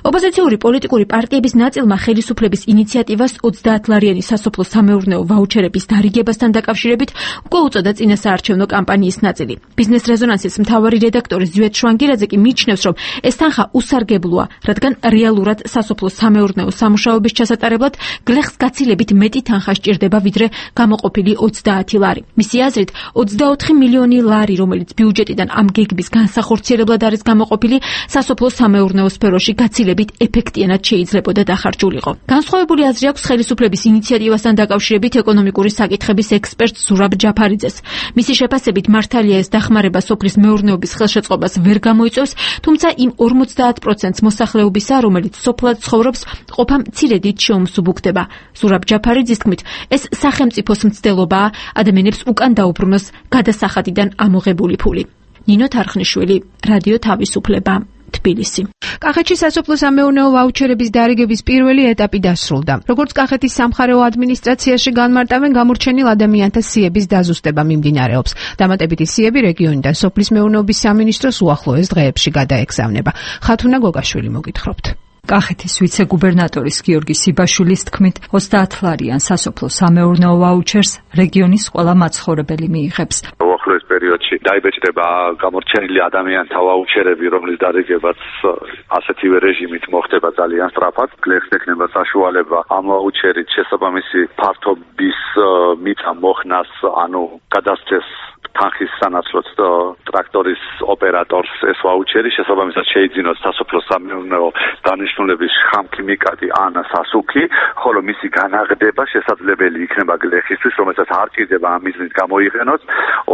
ოპოზიციური პოლიტიკური პარტიების ნაწილმა ხელისუფლების ინიციატივას ოცდაათ ლარიანი სასოფლო სამეურნეო ვაუჩერების დარიგებასთან დაკავშირებით უკვე უწოდა წინასაარჩევნო კამპანიის ნაწილი. ბიზნეს რეზონანსის მთავარი რედაქტორი ზვიად შვანგირაძე კი მიიჩნევს, რომ ეს თანხა უსარგებლოა, რადგან რეალურად სასოფლო სამეურნეო სამუშაოების ჩასატარებლად გლეხს გაცილებით მეტი თანხა სჭირდება, ვიდრე გამოყოფილი ოცდაათი ლარი. მისი აზრით, ოცდაოთხი მილიონი ლარი, რომელიც ბიუჯეტიდან ამ გეგმის განსახორციელებლად არის გამოყოფილი, სასოფლო სამეურნეო სფეროში გაცილებით ეფექტიანად შეიძლებოდა დახარჯულიყო. განსხვავებული აზრი აქვს ხელისუფლების ინიციატივასთან დაკავშირებით ეკონომიკური საკითხების ექსპერტ ზურაბ ჯაფარიძეს. მისი შეფასებით მართალია ეს დახმარება სოფლის მეურნეობის ხელშეწყობას ვერ გამოიწვევს, თუმცა იმ ორმოცდაათ პროცენტს მოსახლეობისა, რომელიც სოფლად ცხოვრობს, ყოფა მცირედით შეუმსუბუქდება. ზურაბ ჯაფარიძის თქმით, ეს სახელმწიფოს მცდელობაა ადამიანებს უკან დაუბრუნოს გადასახადიდან ამოღებული ფული. ნინო თარხნიშვილი, რადიო თავისუფლება. თბილისი. კახეთში სასოფლო სამეურნეო ვაუჩერების დარიგების პირველი ეტაპი დასრულდა. როგორც კახეთის სამხარეო ადმინისტრაციაში განმარტავენ, გამორჩენილ ადამიანთა სიების დაზუსტება მიმდინარეობს. დამატებითი სიები რეგიონიდან სოფლის მეურნეობის სამინისტროს უახლოეს დღეებში გადაეგზავნება. ხათუნა გოგაშვილი მოგითხრობთ. კახეთის ვიცე-გუბერნატორის გიორგი სიბაშვილის თქმით, ოცდაათ ლარიან სასოფლო სამეურნეო ვაუჩერს რეგიონის ყველა მაცხოვრებელი მიიღებს. უახლოეს პერიოდში დაიბეჭდება გამორჩენილი ადამიანთა ვაუჩერები, რომლის დარიგებაც ასეთივე რეჟიმით მოხდება ძალიან სწრაფად. გლეხს ექნება საშუალება ამ ვაუჩერით შესაბამისი ფართობის მიწა მოხნას, ანუ გადასცეს თანხის სანაცვლოდ ტრაქტორის ოპერატორს ეს ვაუჩერი, შესაბამისად შეიძინოს სასოფლო სამეურნეო დანიშნულების ხამქიმიკატი ან სასუქი, ხოლო მისი განაღდება შესაძლებელი იქნება გლეხისთვის, რომელსაც არ ჭირდება ამ მიზნით გამოიყენოს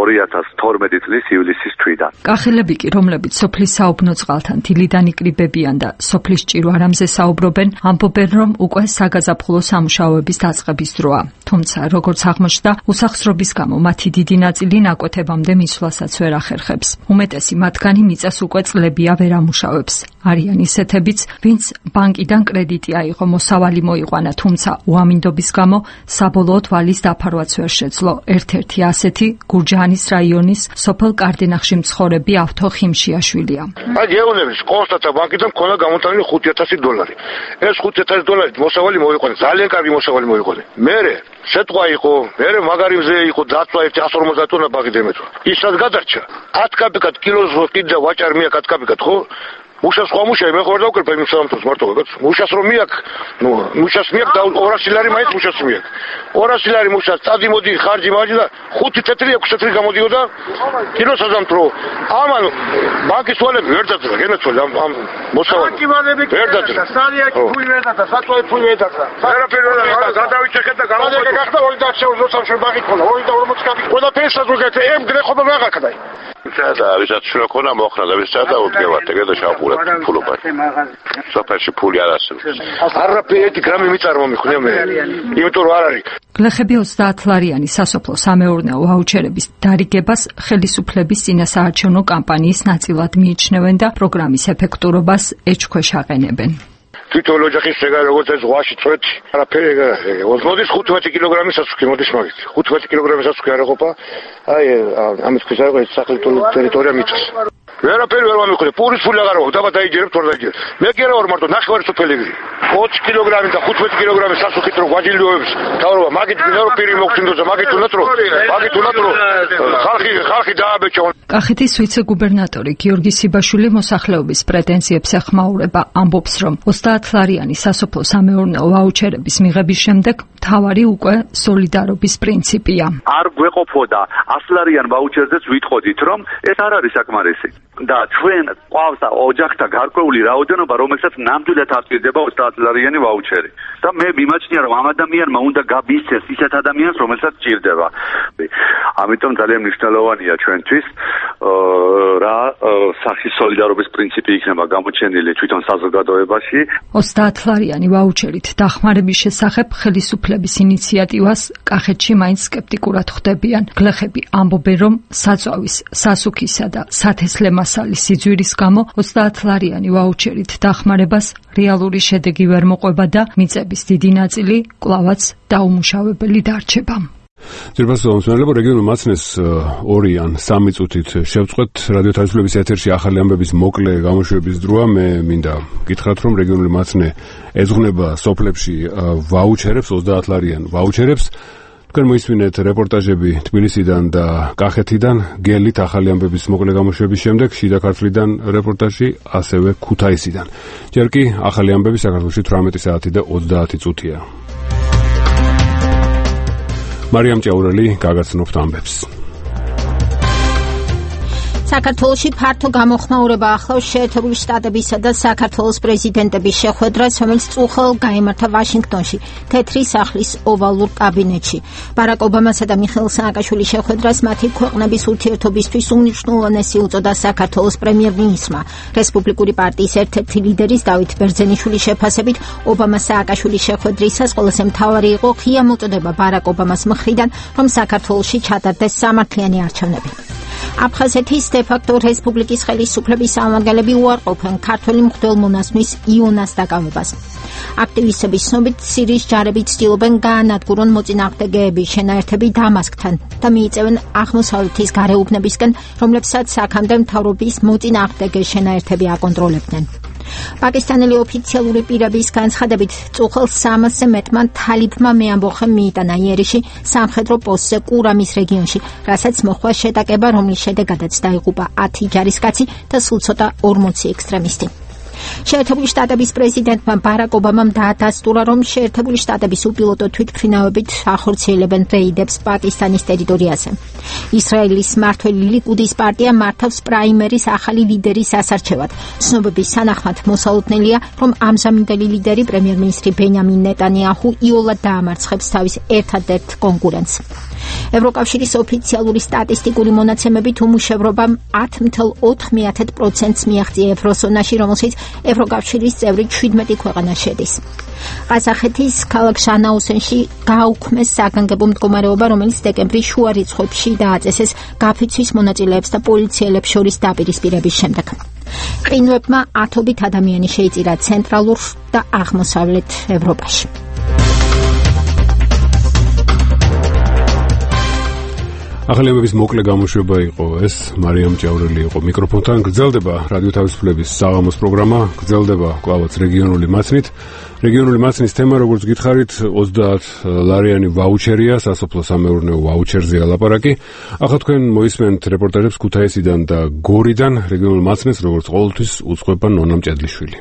ორი ათას თორმეტი წლის ივლისის თვიდან. კახელები კი, რომლებიც სოფლის საუბნო წყალთან დილიდან იკრიბებიან და სოფლის ჭირვარამზე საუბრობენ, ამბობენ, რომ უკვე საგაზაფხულო სამუშაოების დაწყების დროა. თუმცა, როგორც აღმოჩნდა, უსახსრობის გამო მათი დიდი ნაწილი ნაკვეთებამდე მისვლასაც ვერ ახერხებს. უმეტესი მათგანი მიწას უკვე წლებია ვერ ამუშავებს. არიან ისეთებიც, ვინც ბანკიდან კრედიტი აიღო, მოსავალი მოიყვანა, თუმცა უამინდობის გამო საბოლოოდ ვალის დაფარვაც ვერ შეძლო. ერთ-ერთი ასეთი გურჯაანის რაიონის სოფელ კარდენახში მცხოვრები ავთო ხიმშიაშვილია. აი გეუბნები, კონსტატა ბანკიდან მქონდა გამოტანილი ხუთი ათასი დოლარი. ეს ხუთი ათასი დოლარით მოსავალი მოიყვანა, ძალიან კარგი მოსავალი მოიყვანა. მერე შეტყვა იყო, მერე მაგარი მზე იყო, დაწვა ერთი ასი ორმოცდაათ ტონა ბაღი დემეცვა. ისაც გადარჩა. ათი კაპიკად კილოს კიდე ვაჭარ მიაკ ათი კაპიკად ხო? მუშას ხომ მუშა მე ხო არ დავკრფე იმ სამთოს მარტო გაკაც მუშას რომ მიაკ ნუ მუშას მიაკ და ორასი ლარი მაინც მუშას მიაკ ორასი ლარი მუშას წადი მოდი ხარჯი მაჯი და ხუთი თეთრი ექვსი თეთრი გამოდიოდა კილოს აზამთრო ამან ბანკის ვალები ვერ დაძრა გენაცვალე ამ ამ მოსავალი ვერ დაძრა სარიაკი ფული ვერ დაძრა საწვავი ფული ვერ დაძრა არაფერი ვერ დაძრა გადავიჭეხეთ და გამოდიოდა გახდა ორი და ოცდაოთხი ბაღი ქონა ორი და ორმოცი კაპი ყველაფერი საზოგადოებრივ ემ გრეხობა რა გაკდა და ვისაც შუა ქონა მოხდა და ვისაც დაუდგევათ ეგ და შავყურა ფულობად სოფელში ფული არ არსებობს არაფერი ერთი გრამი მიწა არ მომიხვნია მე იმიტომ რომ არ არის გლეხები ოცდაათ ლარიანი სასოფლო სამეურნეო ვაუჩერების დარიგებას ხელისუფლების წინასაარჩევნო კამპანიის ნაწილად მიიჩნევენ და პროგრამის ეფექტურობას ეჭქვეშ აყენებენ. თვითონ ოჯახის შეგა როგორც ეს ზღვაში წვეთ არაფერი ეგ არის მოდის ხუთმეტი კილოგრამის სასუქი მოდის მაგით ხუთმეტი კილოგრამის სასუქი არ ეყოფა აი ამის ქვის არის ეს სახელმწიფო ტერიტორია მიწას ვერაფერი ვერ მომიხვდა პურის ფული აღარ აქვს დაბა დაიჯერებთ ორ დაიჯერებთ მე კი არა ვარ მარტო ნახევარი სოფელი გრი ოცი კილოგრამი და ხუთმეტი კილოგრამის სასუქით რო გვაჯილდოებს თავრობა მაგით მე რო პირი მოგწინდოზე მაგით უნდათ რო მაგით უნდათ რო ხალხი ხალხი დააბეჭო კახეთის ვიცე-გუბერნატორი გიორგი სიბაშვილი მოსახლეობის პრეტენზიებს ეხმაურება, ამბობს, რომ ოცდაათ ლარიანი სასოფლო სამეურნეო ვაუჩერების მიღების შემდეგ მთავარი უკვე სოლიდარობის პრინციპია. არ გვეყოფოდა ას ლარიან ვაუჩერზეც ვითხოვდით, რომ ეს არ არის საკმარისი. და ჩვენ ყავს ოჯახთა გარკვეული რაოდენობა, რომელსაც ნამდვილად აპირდება ოცდაათლარიანი ვაუჩერი. და მე მიმაჩნია, რომ ამ ადამიანმა უნდა გაბისცეს ისეთ ადამიანს, რომელსაც სჭირდება. ამიტომ ძალიან მნიშვნელოვანია ჩვენთვის რა სახის სოლიდარობის პრინციპი იქნება გამოჩენილი თვითონ საზოგადოებაში. ოცდაათლარიანი ვაუჩერით დახმარების შესახებ ხელისუფლების ინიციატივას კახეთში მაინც სკეპტიკურად ხვდებიან. გლეხები ამბობენ, რომ საწვავის, სასუქისა და სათესლე მასალის სიძვირის გამო ოცდაათლარიანი ვაუჩერით დახმარებას რეალური შედეგი ვერ მოყვება და მიწების დიდი ნაწილი კვლავაც დაუმუშავებელი დარჩება. ძირფას მომსმენელებო, რეგიონულ მაცნეს ორი ან სამი წუთით შევწყვეთ რადიო თავისუფლების ეთერში ახალი ამბების მოკლე გამოშვების დროა. მე მინდა გითხრათ, რომ რეგიონული მაცნე ეძღვნება სოფლებში ვაუჩერებს, ოცდაათლარიან ვაუჩერებს. თქვენ მოისმინეთ რეპორტაჟები თბილისიდან და კახეთიდან, გელით ახალი ამბების მოკლე გამოშვების შემდეგ შიდა ქართლიდან რეპორტაჟი, ასევე ქუთაისიდან. ჯერ კი ახალი ამბები საქართველოში თვრამეტი საათი და ოცდაათი წუთია. მარიამ ჭაურელი გაგაცნობთ ამბებს. საქართველოში ფართო გამოხმაურება ახლავს შეერთებული შტატებისა და საქართველოს პრეზიდენტების შეხვედრას, რომელიც წუხელ გაიმართა ვაშინგტონში, თეთრი სახლის ოვალურ კაბინეტში. ბარაკ ობამასა და მიხეილ სააკაშვილის შეხვედრას მათი ქვეყნების ურთიერთობისთვის უმნიშვნელოვანესი უწოდა საქართველოს პრემიერ-მინისტრმა. რესპუბლიკური პარტიის ერთ-ერთი ლიდერის დავით ბერძენიშვილის შეფასებით, ობამა-სააკაშვილის შეხვედრისას ყველაზე მთავარი იყო ღია მოწოდება ბარაკ ობამას მხრიდან, რომ საქართველოში ჩატარდეს სამართლიანი არჩევნები. აფხაზეთის დე-ფაქტო რესპუბლიკის ხელისუფლების წარმომადგენლები უარყოფენ ქართველი მღვდელმონაზვნის იონას დაკავებას. აქტივისტების ცნობით, სირიის ჯარები ცდილობენ გაანადგურონ მოწინააღმდეგეების შენაერთები დამასკთან და მიიწევენ აღმოსავლეთის გარეუბნებისკენ, რომლებსაც აქამდე მთავრობის მოწინააღმდეგე შენაერთები აკონტროლებდნენ. პაკისტანელი ოფიციალური პირების განცხადებით, წუხელ სამასზე მეტმა თალიბმა მეამბოხე მიიტანა იერიში სამხედრო პოსტზე კურამის რეგიონში, რასაც მოხდა შეტაკება, რომლის შედეგადაც დაიღუპა ათი ჯარისკაცი და სულ ცოტა ორმოცი ექსტრემისტი. შეერთებული შტატების პრეზიდენტმა ბარაკ ობამამ დაადასტურა, რომ შეერთებული შტატების უპილოტო თვითმფრინავებით ახორციელებენ რეიდებს პაკისტანის ტერიტორიაზე. ისრაელის მმართველი ლიკუდის პარტია მართავს პრაიმერის ახალი ლიდერის ასარჩევად. ცნობების თანახმად მოსალოდნელია, რომ ამჟამინდელი ლიდერი პრემიერ-მინისტრი ბენიამინ ნეტანიაჰუ იოლად დაამარცხებს თავის ერთადერთ კონკურენტს. ევროკავშირის ოფიციალური სტატისტიკური მონაცემებით უმუშევრობამ ათი მცდელობა ოთხი პროცენტს მიაღწია ევროზონაში, რომელშიც ევროკავშირის წევრი შვიდმეტი ქვეყანა შედის. ყაზახეთის ქალაქ ჟანაოსენში გააუქმეს საგანგებო მდგომარეობა, რომელიც დეკემბრის შუა რიცხვებში დააწესეს გაფიცვის მონაწილეებს და პოლიციელებს შორის დაპირისპირების შემდეგ. ყინვებმა ათობით ადამიანი შეიწირა ცენტრალურ და აღმოსავლეთ ევროპაში. ახალი ამბების მოკლე გამოშვება იყო ეს. მარიამ ჭაურელი იყო მიკროფონთან. გრძელდება რადიო თავისუფლების საღამოს პროგრამა, გრძელდება კვლავაც რეგიონული მაცნით. რეგიონული მაცნის თემა, როგორც გითხარით, ოცდაათლარიანი ვაუჩერია, სასოფლო-სამეურნეო ვაუჩერზეა ლაპარაკი. ახლა თქვენ მოისმენთ რეპორტაჟებს ქუთაისიდან და გორიდან. რეგიონულ მაცნეს, როგორც ყოველთვის, უწყება ნონა მჭედლიშვილი.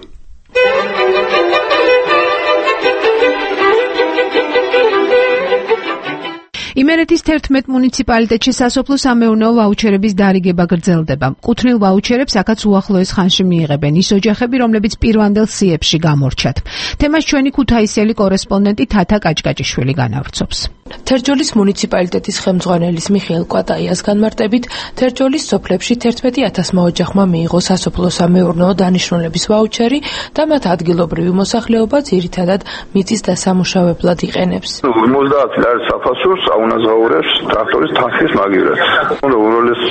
იმერეთის თერთმეტ მუნიციპალიტეტში სასოფლო-სამეურნეო ვაუჩერების დარიგება გრძელდება. კუთვნილ ვაუჩერებს აქაც უახლოეს ხანში მიიღებენ ის ოჯახები, რომლებიც პირვანდელ სიებში გამორჩათ. თემას ჩვენი ქუთაისელი კორესპონდენტი თათა კაჭკაჭიშვილი განავრცობს. თერჯოლის მუნიციპალიტეტის ხელმძღვანელის მიხეილ კვატაიას განმარტებით, თერჯოლის სოფლებში თერთმეტი ათასმა ოჯახმა მიიღო სასოფლო-სამეურნეო დანიშნულების ვაუჩერი და მათ ადგილობრივი მოსახლეობა ძირითადად მიწის დასამუშავებლად იყენებს. ოცდაათი ლარის საფასურს აუნაზღაურებს ტრაქტორის თანხის მაგივრად. უნდა უბრალეს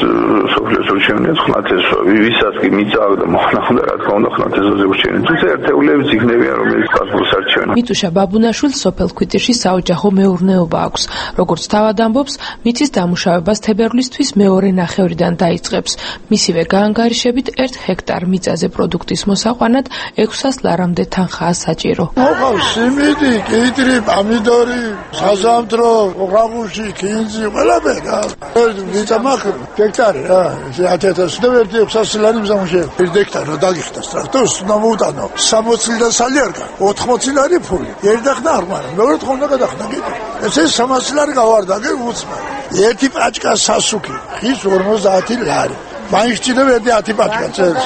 სოფლის ურჩევნიათ ხნათეს, ვისაც კი მიწა და მოხდა უნდა რა თქმა უნდა ხნათესზე ურჩევნიათ. თუმცა ერთეულებიც იქნებიან, რომელიც პასპორტს არჩევენ. მიტუშა ბაბუნაშვილ სოფელ ქვიტირში საოჯახო მეურნეობა აქვს. როგორც თავად ამბობს, მიწის დამუშავებას თებერვლისთვის მეორე ნახევრიდან დაიწყებს. მისივე გაანგარიშებით ერთ ჰექტარ მიწაზე პროდუქტის მოსაყვანად ექვსას ლარამდე თანხაა საჭირო. მოყავს სიმინდი, კიტრი, პომიდორი, საზამთრო, ოღამუში, კინძი, ყველაფერი რა. მიწა მაქვს ჰექტარი რა. ათი ათასი და ერთი ექვსასი ლარი მზამუშე. ერთ ჰექტარი რა დაგიხდა ტრაქტორს უნდა მოუტანო. სამოცი და სალი არ გაქვს. ოთხმოცი ლარი ფული. ერდახნა არ მაქვს. მეორე თხოვნდა გადახდა კიდე. ესე სამასი ლარი გავარდა, გე უცმა. ერთი პაჭკა სასუქი, ხის ორმოცდაათი ლარი. მაინც ჭირდება ერთი ათი პაჩკა წელს.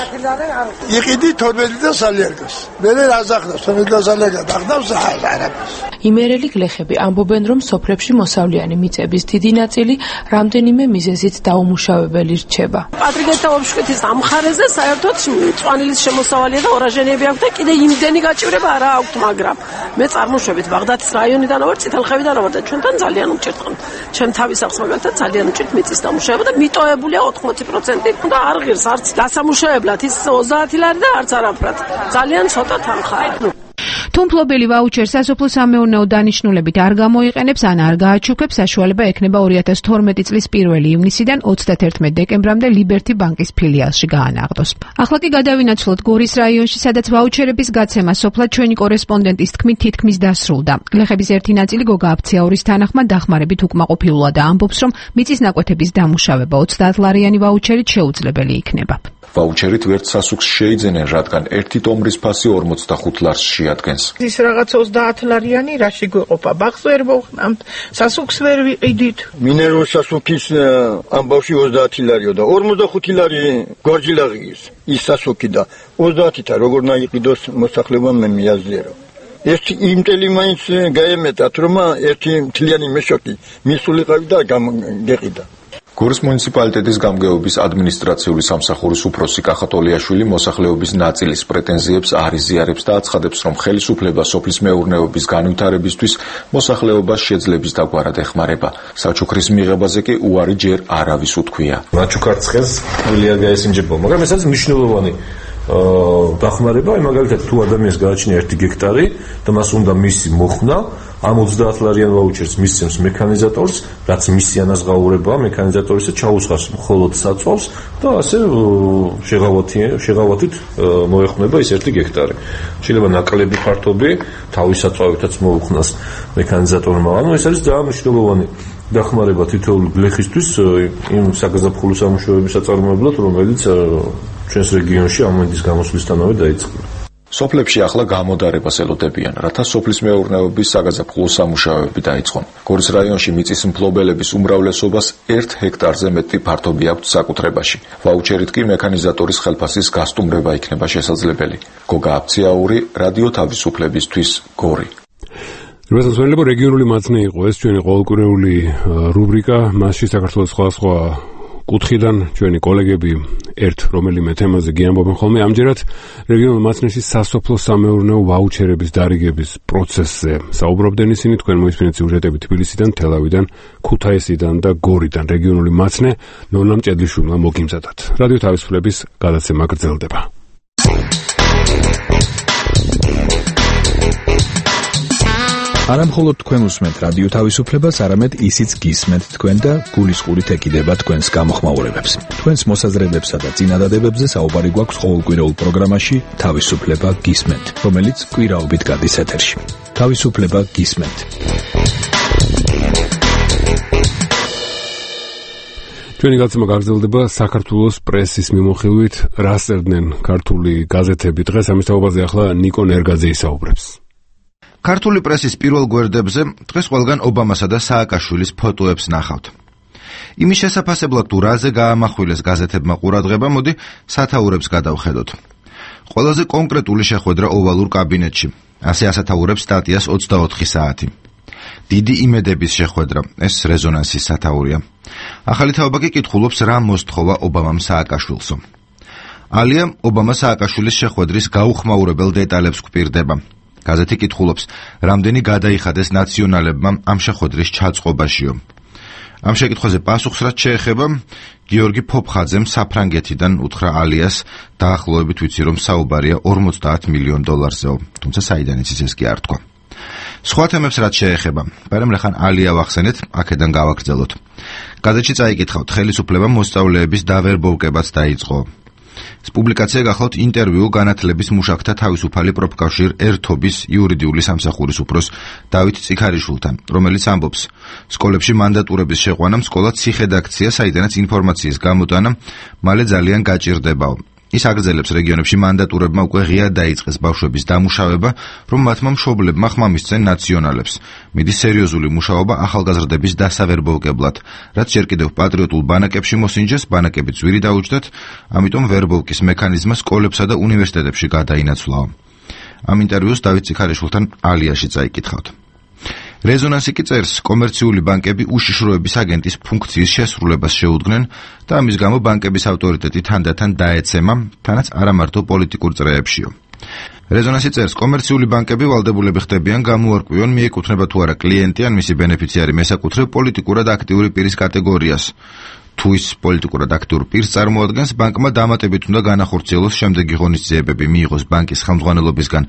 იყიდი თორმეტი სალიერგას. მე რაზახდა თორმეტი სალიერგა დახდავს არაფერს. იმერელი გლეხები ამბობენ, რომ სოფლებში მოსავლიანი მიწების დიდი ნაწილი რამდენიმე მიზეზით დაუმუშავებელი რჩება. პატრიგეთა ოფშკეთის ამ მხარეზე საერთოდ მწვანილის შემოსავალია და ორაჟენები აქვს და კიდე იმდენი გაჭირება არა აქვს, მაგრამ მე წარმოშვებით ბაღდათის რაიონიდან ვარ, წითელხევიდან ვარ და ჩვენთან ძალიან უჭირთ. ჩემ თავის აქვს მაგალითად ძალიან უჭირთ მიწის დამუშავება და მიტოებულია ოთხმოცი პროცენტი და არ ღირს არც დასამუშავებლად ის ოცდაათი ლარი და არც არაფრად. ძალიან ცოტა თანხაა. თუ მფლობელი ვაუჩერს სასოფლო-სამეურნეო დანიშნულებით არ გამოიყენებს ან არ გააჩუქებს, საშუალება ექნება ორი ათას თორმეტი წლის პირველი ივნისიდან ოცდათერთმეტი დეკემბრამდე ლიბერთი ბანკის ფილიალში გაანაღდოს. ახლა კი გადავინაცვლოთ გორის რაიონში, სადაც ვაუჩერების გაცემა სოფლად ჩვენი კორესპონდენტის თქმით თითქმის დასრულდა. გლეხების ერთი ნაწილი გოგა აფციაურის თანახმად დახმარებით უკმაყოფილულა და ამბობს, რომ მიწის ნაკვეთების დამუშავება ოცდაათ ლარიანი ვაუჩერით შეუძლებელი იქნება. ვაუჩერით ვერც სასუქს შეიძენენ, რადგან ერთი ტომბრის ფასი ორმოცდახუთ ლარს შეადგენს. ის რაღაც ოცდაათ ლარიანი რაში გვეყოფა? ბაღს ვერ მოვხნამთ, სასუქს ვერ ვიყიდით. მინერალურ სასუქის ამბავში ოცდაათი ლარიო და ორმოცდახუთი ლარი გვარჯილაღის ის სასუქი და ოცდაათითა როგორ ნაიყიდოს მოსახლებამ მე მიაზიარო. ერთი იმტელი მაინც გაემეტათ, რომ ერთი მთლიანი მეშოკი მისულიყავი და გეყიდა. გორის მუნიციპალიტეტის გამგეობის ადმინისტრაციული სამსახურის უფროსი კახატოლიაშვილი მოსახლეობის ნაწილის პრეტენზიებს არ იზიარებს და აცხადებს, რომ ხელისუფლება სოფლის მეურნეობის განვითარებისთვის მოსახლეობას შეძლების დაგვარად ეხმარება. საჩუქრის მიღებაზე კი უარი ჯერ არავის უთქვია. ნაჩუქარცხეს ვილია გაესინჯება, მაგრამ ეს არის მნიშვნელოვანი დახმარება, მაგალითად თუ ადამიანს გააჩნია ერთი გექტარი და მას უნდა მისი მოხსნა, ამ ოცდაათ ლარიან ვაუჩერს მისცემს მექანიზატორს, რაც მისი ანაზღაურებაა მექანიზატორისა, ჩაუსხავს მხოლოდ საწვავს და ასე შეღავათით მოეხმნება ის ერთი გექტარი. შეიძლება ნაკლები ფართობი თავის საწვავითაც მოუხნას მექანიზატორმა. ანუ ეს არის ძალიან მნიშვნელოვანი დახმარება თითოეული გლეხისთვის იმ საგაზაფხულო სამუშაოების საწარმოებლად, რომელიც ჩვენს რეგიონში ამენდის გამოსვლისთანავე დაიწყო. სოფლებში ახლა გამოდარებას ელოდებიან, რათა სოფლის მეურნეობის საგაზაფხულო სამუშაოები დაიწყონ. გორის რაიონში მიწის მფლობელების უმრავლესობას ერთ ჰექტარზე მეტი ფართობი აქვთ საკუთრებაში. ვაუჩერით კი მექანიზატორის ხელფასის გასტუმრება იქნება შესაძლებელი. გოგა აფციაური, რადიო თავისუფლებისთვის, გორი. რეგიონული რეგიონული მათნე იყო ეს ჩვენი ყოველკვირეული რუბრიკა, მასში საქართველოს სხვადასხვა კუთხიდან ჩვენი კოლეგები ერთ რომელიმე თემაზე გიამბობენ ხოლმე. ამჯერად რეგიონულ მაცნეში სასოფლო სამეურნეო ვაუჩერების დარიგების პროცესზე საუბრობდნენ ისინი. თქვენ მოისმინეთ სიუჟეტები თბილისიდან, თელავიდან, ქუთაისიდან და გორიდან. რეგიონული მაცნე ნონა მჭედლიშვილმა მოგიმზადათ. რადიო თავისუფლების გადაცემა გრძელდება. არა მხოლოდ თქვენ უსმენთ რადიო თავისუფლებას, არამედ ისიც გისმენთ თქვენ და გულისყურით ეკიდება თქვენს გამოხმაურებებს. თქვენს მოსაზრებებსა და წინადადებებზე საუბარი გვაქვს ყოველკვირეულ პროგრამაში თავისუფლება გისმენთ, რომელიც კვირაობით გადის ეთერში. თავისუფლება გისმენთ. ჩვენი გაცემა გაგრძელდება საქართველოს პრესის მიმოხილვით, რას წერდნენ ქართული გაზეთები დღეს. ამის თაობაზე ახლა ნიკო ნერგაძე ისაუბრებს. ქართული პრესის პირველ გვერდებზე დღეს ყველგან ობამასა და სააკაშვილის ფოტოებს ნახავთ. იმის შესაფასებლად თუ რაზე გაამახვილეს გაზეთებმა ყურადღება, მოდი სათაურებს გადავხედოთ. ყველაზე კონკრეტული შეხვედრა ოვალურ კაბინეტში. ასე ასათაურებს სტატიას ოცდაოთხი საათი. დიდი იმედების შეხვედრა, ეს რეზონანსის სათაურია. ახალი თაობა კი კითხულობს, რა მოსთხოვა ობამამ სააკაშვილსო. ალია ობამა სააკაშვილის შეხვედრის გაუხმაურებელ დეტალებს გვპირდება. გაზეთი კითხულობს, რამდენი გადაიხადეს ნაციონალებმა ამ შეხვედრის ჩაწყობაშიო. ამ შეკითხვაზე პასუხს რაც შეეხება, გიორგი ფოფხაძემ საფრანგეთიდან უთხრა ალიას, დაახლოებით ვიცი რომ საუბარია ორმოცდაათ მილიონ დოლარზეო, თუმცა საიდან იცის ეს კი არ თქვა. სხვა თემებს რაც შეეხება, მაგრამ რახან ალია ვახსენეთ, აქედან გავაგრძელოთ. გაზეთში წაიკითხავთ, ხელისუფლება მოსწავლეების დავერბოვკებაც დაიწყო. პუბლიკაცია გახლავთ ინტერვიუ განათლების მუშაკთა თავისუფალი პროფკავშირ ერთობის იურიდიული სამსახურის უფროს დავით წიქარიშვილთან, რომელიც ამბობს, სკოლებში მანდატურების შეყვანამ სკოლა ციხედ აქცია, საიდანაც ინფორმაციის გამოტანა მალე ძალიან გაჭირდებაო. ის აგრძელებს რეგიონებში მანდატურებმა უკვე ღიად დაიწყეს ბავშვების დამუშავება, რომ მათმა მშობლებმა ხმამისცენ ნაციონალებს. მიდის სერიოზული მუშაობა ახალგაზრდების დასავერბოვკებლად, რაც ჯერ კიდევ პატრიოტულ ბანაკებში მოსინჯეს, ბანაკები ძვირი დაუჯდათ, ამიტომ ვერბოვკის მექანიზმა სკოლებსა და უნივერსიტეტებში გადაინაცვლაო. ამ ინტერვიუს დავით ციხარიშვილთან ალიაში წაიკითხავთ. რეზონანსი კი წერს, კომერციული ბანკები უშიშროების აგენტის ფუნქციის შესრულებას შეუდგნენ და ამის გამო ბანკების ავტორიტეტი თანდათან დაეცემა, თანაც არა მარტო პოლიტიკურ წრეებშიო. რეზონანსი წერს, კომერციული ბანკები ვალდებულები ხდებიან გამოარკვიონ მიეკუთვნება თუ არა კლიენტი ან მისი ბენეფიციარი მესაკუთრე პოლიტიკურად აქტიური პირის კატეგორიას. თუ ის პოლიტიკურად აქტიურ პირს წარმოადგენს, ბანკმა დამატებით უნდა განახორციელოს შემდეგი ღონისძიებები: მიიღოს ბანკის ხელმძღვანელობისგან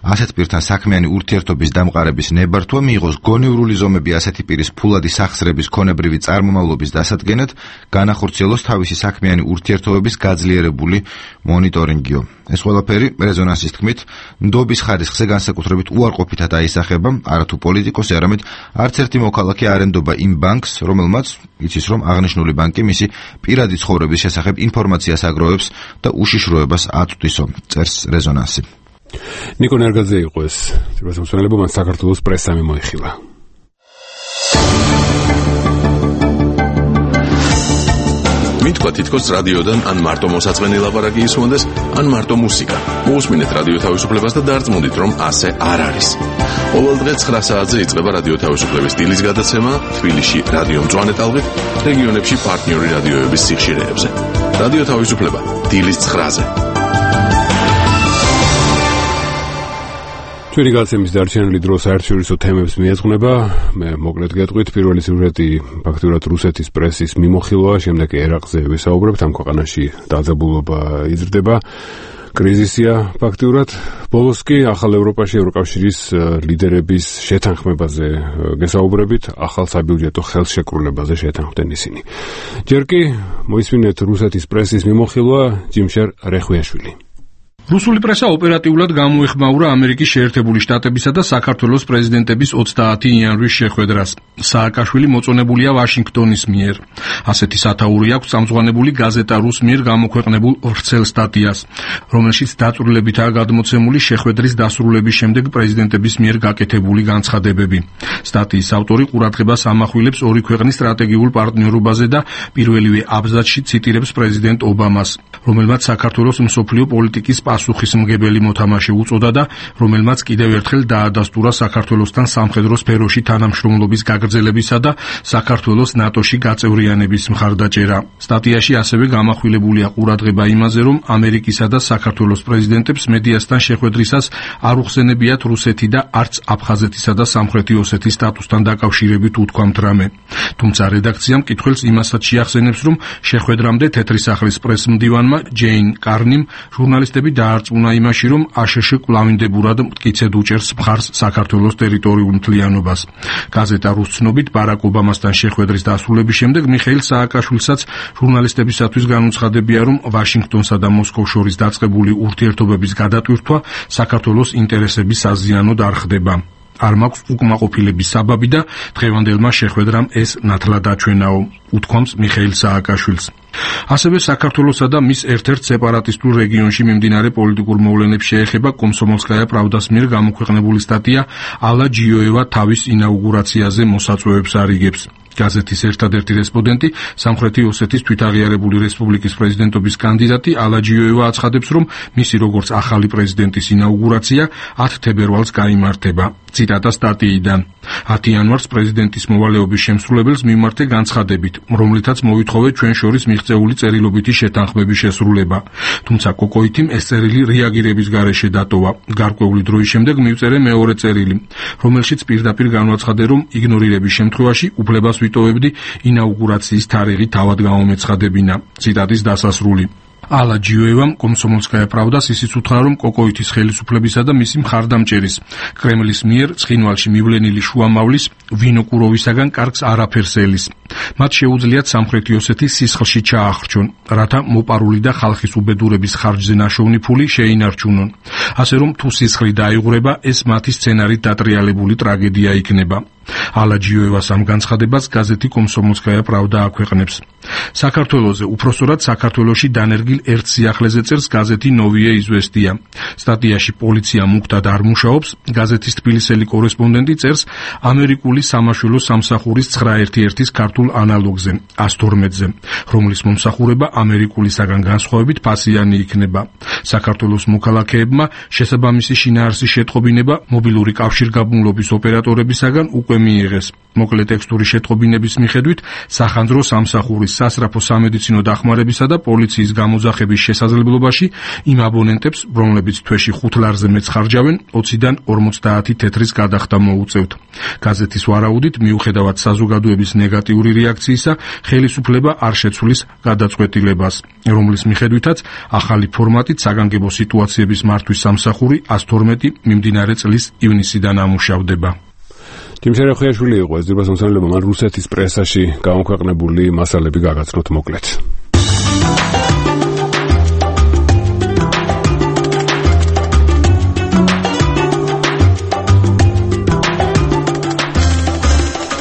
ასეთ პირთან საქმიანი ურთიერთობის დამყარების ნებართვა, მიიღოს გონივრული ზომები ასეთი პირის ფულადი სახსრების ქონებრივი წარმომავლობის დასადგენად, განახორციელოს თავისი საქმიანი ურთიერთობების გაძლიერებული მონიტორინგიო. ეს ყველაფერი რეზონანსის თქმით, ნდობის ხარისხზე განსაკუთრებით უარყოფითად აისახება, არათუ პოლიტიკოსი, არამედ არც ერთი მოქალაქე არ ენდობა იმ ბანკს, რომელმაც იცის, რომ აღნიშნული ბანკი მისი პირადი ცხოვრების შესახებ ინფორმაციას აგროვებს და უშიშროებას აწვდისო, წერს რეზონანსი. ნიკო ნერგაძე იყო ეს თვითმსახურება, მან საქართველოს პრესამ მოიხილა. მითქვა თითქოს რადიოდან ან მარტო მოსაწყენი ლაპარაკი ისმონდეს, ან მარტო მუსიკა. მოусმინეთ რადიო თავისუფლებას და დარწმუნდით, რომ ასე არ არის. ყოველ დღე ცხრა საათზე იწყება რადიო თავისუფლების დილის გადაცემა თბილისში რადიო მწვანე ტალღით, რეგიონებში პარტნიორი რადიოების სიხშირეებზე. რადიო თავისუფლება დილის ცხრაზე. ჩვენი გადაცემის დარჩენილი დრო საერთაშორისო თემებს მიეძღვნება. მე მოკლედ გეტყვით, პირველი სიუჟეტი ფაქტურად რუსეთის პრესის მიმოხილვაა, შემდეგ ერაყზე ვისაუბრებთ, ამ ქვეყანაში დაძაბულობა იზრდება. კრიზისია ფაქტურად. ბოლოს კი ახალ ევროპაში ევროკავშირის ლიდერების შეთანხმებაზე გესაუბრებით, ახალ საბიუჯეტო ხელშეკრულებაზე შეთანხმდნენ ისინი. ჯერ კი მოისმინეთ რუსეთის პრესის მიმოხილვა, ჯიმშერ რეხვიაშვილი. რუსული პრესა ოპერატიულად გამოეხმაურა ამერიკის შეერთებული შტატებისა და საქართველოს პრეზიდენტების ოცდაათი იანვრის შეხვედრას. სააკაშვილი მოწონებულია ვაშინგტონის მიერ. ასეთი სათაური აქვს წამწვანებული გაზეტა რუს მიერ გამოქვეყნებულ ვრცელ სტატიას, რომელშიც დაწვრილებითაა გადმოცემული შეხვედრის დასრულების შემდეგ პრეზიდენტების მიერ გაკეთებული განცხადებები. სტატიის ავტორი ყურადღებას ამახვილებს ორი ქვეყნის სტრატეგიულ პარტნიორობაზე და პირველივე აბზაცში ციტირებს პრეზიდენტ ობამას, რომელმაც საქართველოს მსოფლიო პოლიტიკის პასუხისმგებელი მოთამაშე უწოდა და რომელმაც კიდევ ერთხელ დაადასტურა საქართველოსთან სამხედრო სფეროში თანამშრომლობის გაგრძელებისა და საქართველოს ნატოში გაწევრიანების მხარდაჭერა. სტატიაში ასევე გამახვილებულია ყურადღება იმაზე, რომ ამერიკისა და საქართველოს პრეზიდენტებს მედიასთან შეხვედრისას არ უხსენებიათ რუსეთი და არც აფხაზეთისა და სამხრეთი ოსეთის სტატუსთან დაკავშირებით უთქვამთ რამე. თუმცა რედაქცია მკითხველს იმასაც შეახსენებს, რომ შეხვედრამდე თეთრი სახლის პრესმდივანმა ჯეინ კარნიმ ჟურნალისტები დაარწმუნა იმაში, რომ აშშ კვლავინდებურად მტკიცედ უჭერს მხარს საქართველოს ტერიტორიულ მთლიანობას. გაზეტა რუს ცნობით ბარაკ ობამასთან შეხვედრის დასრულების შემდეგ მიხეილ სააკაშვილსაც ჟურნალისტებისათვის განუცხადებია, რომ ვაშინგტონსა და მოსკოვს შორის დაწყებული ურთიერთობების გადატვირთვა საქართველოს ინტერესების საზიანოდ არ ხდება. არ მაქვს უკმაყოფილების საბაბი და დღევანდელმა შეხვედრამ ეს ნათლად აჩვენაო, უთქვამს მიხეილ სააკაშვილს. ასევე საქართველოსა და მის ერთ-ერთ სეპარატისტულ რეგიონში მიმდინარე პოლიტიკურ მოვლენებს შეეხება კომსომოლსკაია პრავდას მიერ გამოქვეყნებული სტატია ალა ჯიოევა თავის ინაუგურაციაზე მოსაწვევებს არიგებს. გაზეთის ერთადერთი რესპონდენტი, სამხრეთი ოსეთის თვითაღიარებული რესპუბლიკის პრეზიდენტობის კანდიდატი ალა ჯიოევა აცხადებს, რომ მისი როგორც ახალი პრეზიდენტის ინაუგურაცია ათი თებერვალს გაიმართება. ციტატა სტატიიდან. ათი იანვარს პრეზიდენტის მოვალეობის შემსრულებელს მიმართე განცხადებით, რომლითაც მოვითხოვე ჩვენ შორის მიღწეული წერილობითი შეთანხმების შესრულება. თუმცა კოკოითიმ ეს წერილი რეაგირების გარეშე დატოვა. გარკვეული დროის შემდეგ მივწერე მეორე წერილი, რომელშიც პირდაპირ განვაცხადე, რომ იგნორირების შემთხვევაში უფლებას ვიტოვებდი ინაუგურაციის თარიღი თავად გამომეცხადებინა. ციტატის დასასრული. ალა ჯიოევამ კომსომოლსკაია პრავდას ისიც უთხრა, რომ კოკოითის ხელისუფლებისა და მისი მხარდამჭერის კრემლის მიერ ცხინვალში მივლენილი შუამავლის ვინოკუროვისაგან კარგს არაფერს ელის. მათ შეუძლიათ სამხრეთი ოსეთის სისხლში ჩაახრჩონ, რათა მოპარული და ხალხის უბედურების ხარჯზე ნაშოვნი ფული შეინარჩუნონ. ასე რომ თუ სისხლი დაიღურება, ეს მათი სცენარით დატრიალებული ტრაგედია იქნება. ალაჯიოევას ამ განცხადებას გაზეთი კომსომოლსკაია პრავდა აქვეყნებს. საქართველოზე, უпроსტորად საქართველოში დანერგილ ერთ სიახლეზე წერს გაზეთი ნოვიე იზვესტია. სტატიაში პოლიცია მუქად არ მუშაობს, გაზეთის თბილისელი კორესპონდენტი წერს ამერიკული სამაშველო სამსახურის ცხრა ერთი ერთის ქართულ ანალოგზე, ას თორმეტზე, რომლის მომსახურება ამერიკულისაგან განსხვავებით ფასიანი იქნება. საქართველოს მოქალაქეებმა შესაბამისი შინაარსის შეტყობინება მობილური კავშირგაბმულობის ოპერატორებისაგან უკვე მიიღეს. მოკლე ტექსტური შეტყობინების მიხედვით სახანძრო სამსახურის სასწრაფო სამედიცინო დახმარებისა და პოლიციის გამოძახების შესაძლებლობაში იმ აბონენტებს, რომლებიც თვეში ხუთ ლარზე მეც ხარჯავენ, ოციდან ორმოცდაათი თეთრის გადახდა მოუწევთ. გაზეთის ვარაუდით, მიუხედავად საზოგადოების ნეგატიური რეაქციისა, ხელისუფლება არ შეცვლის გადაწყვეტილებას, რომლის მიხედვითაც ახალი ფორმატით საგანგებო სიტუაციების მართვის სამსახური ას თორმეტი მიმდინარე წლის ივნისიდან ამუშავდება. ჯიმშერე ხუიაშვილი იყო ეს ძირბას მოსამართლეობა, მან რუსეთის პრესაში გამოქვეყნებული მასალები გაგაცნოთ მოკლედ.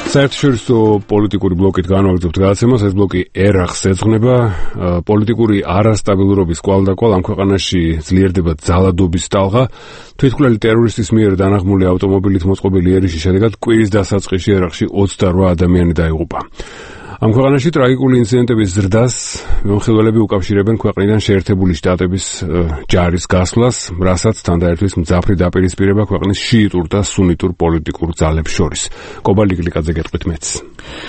საერთაშორისო პოლიტიკური ბლოკით განვაგრძობთ გადაცემას. ეს ბლოკი ერახს ეძღვნება. პოლიტიკური არასტაბილურობის კვალდაკვალ ამ ქვეყანაში ძლიერდება ძალადობის ტალღა. თვითმკვლელი ტერორისტის მიერ დანაღმული ავტომობილით მოწყობილი ერიშის შედეგად კვირის დასაწყისში ერახში ოცდარვა ადამიანი დაიღუპა. ამ ქვეყანაში ტრაგიკული ინციდენტების ზრდას მიმოხილველები უკავშირებენ ქვეყნიდან შეერთებული შტატების ჯარის გასვლას, რასაც თან დაერთვის მძაფრი დაპირისპირება ქვეყნის შიიტურ და სუნიტურ პოლიტიკურ ძალებს შორის. კობალი გლიკაძე გეტყვით მეც.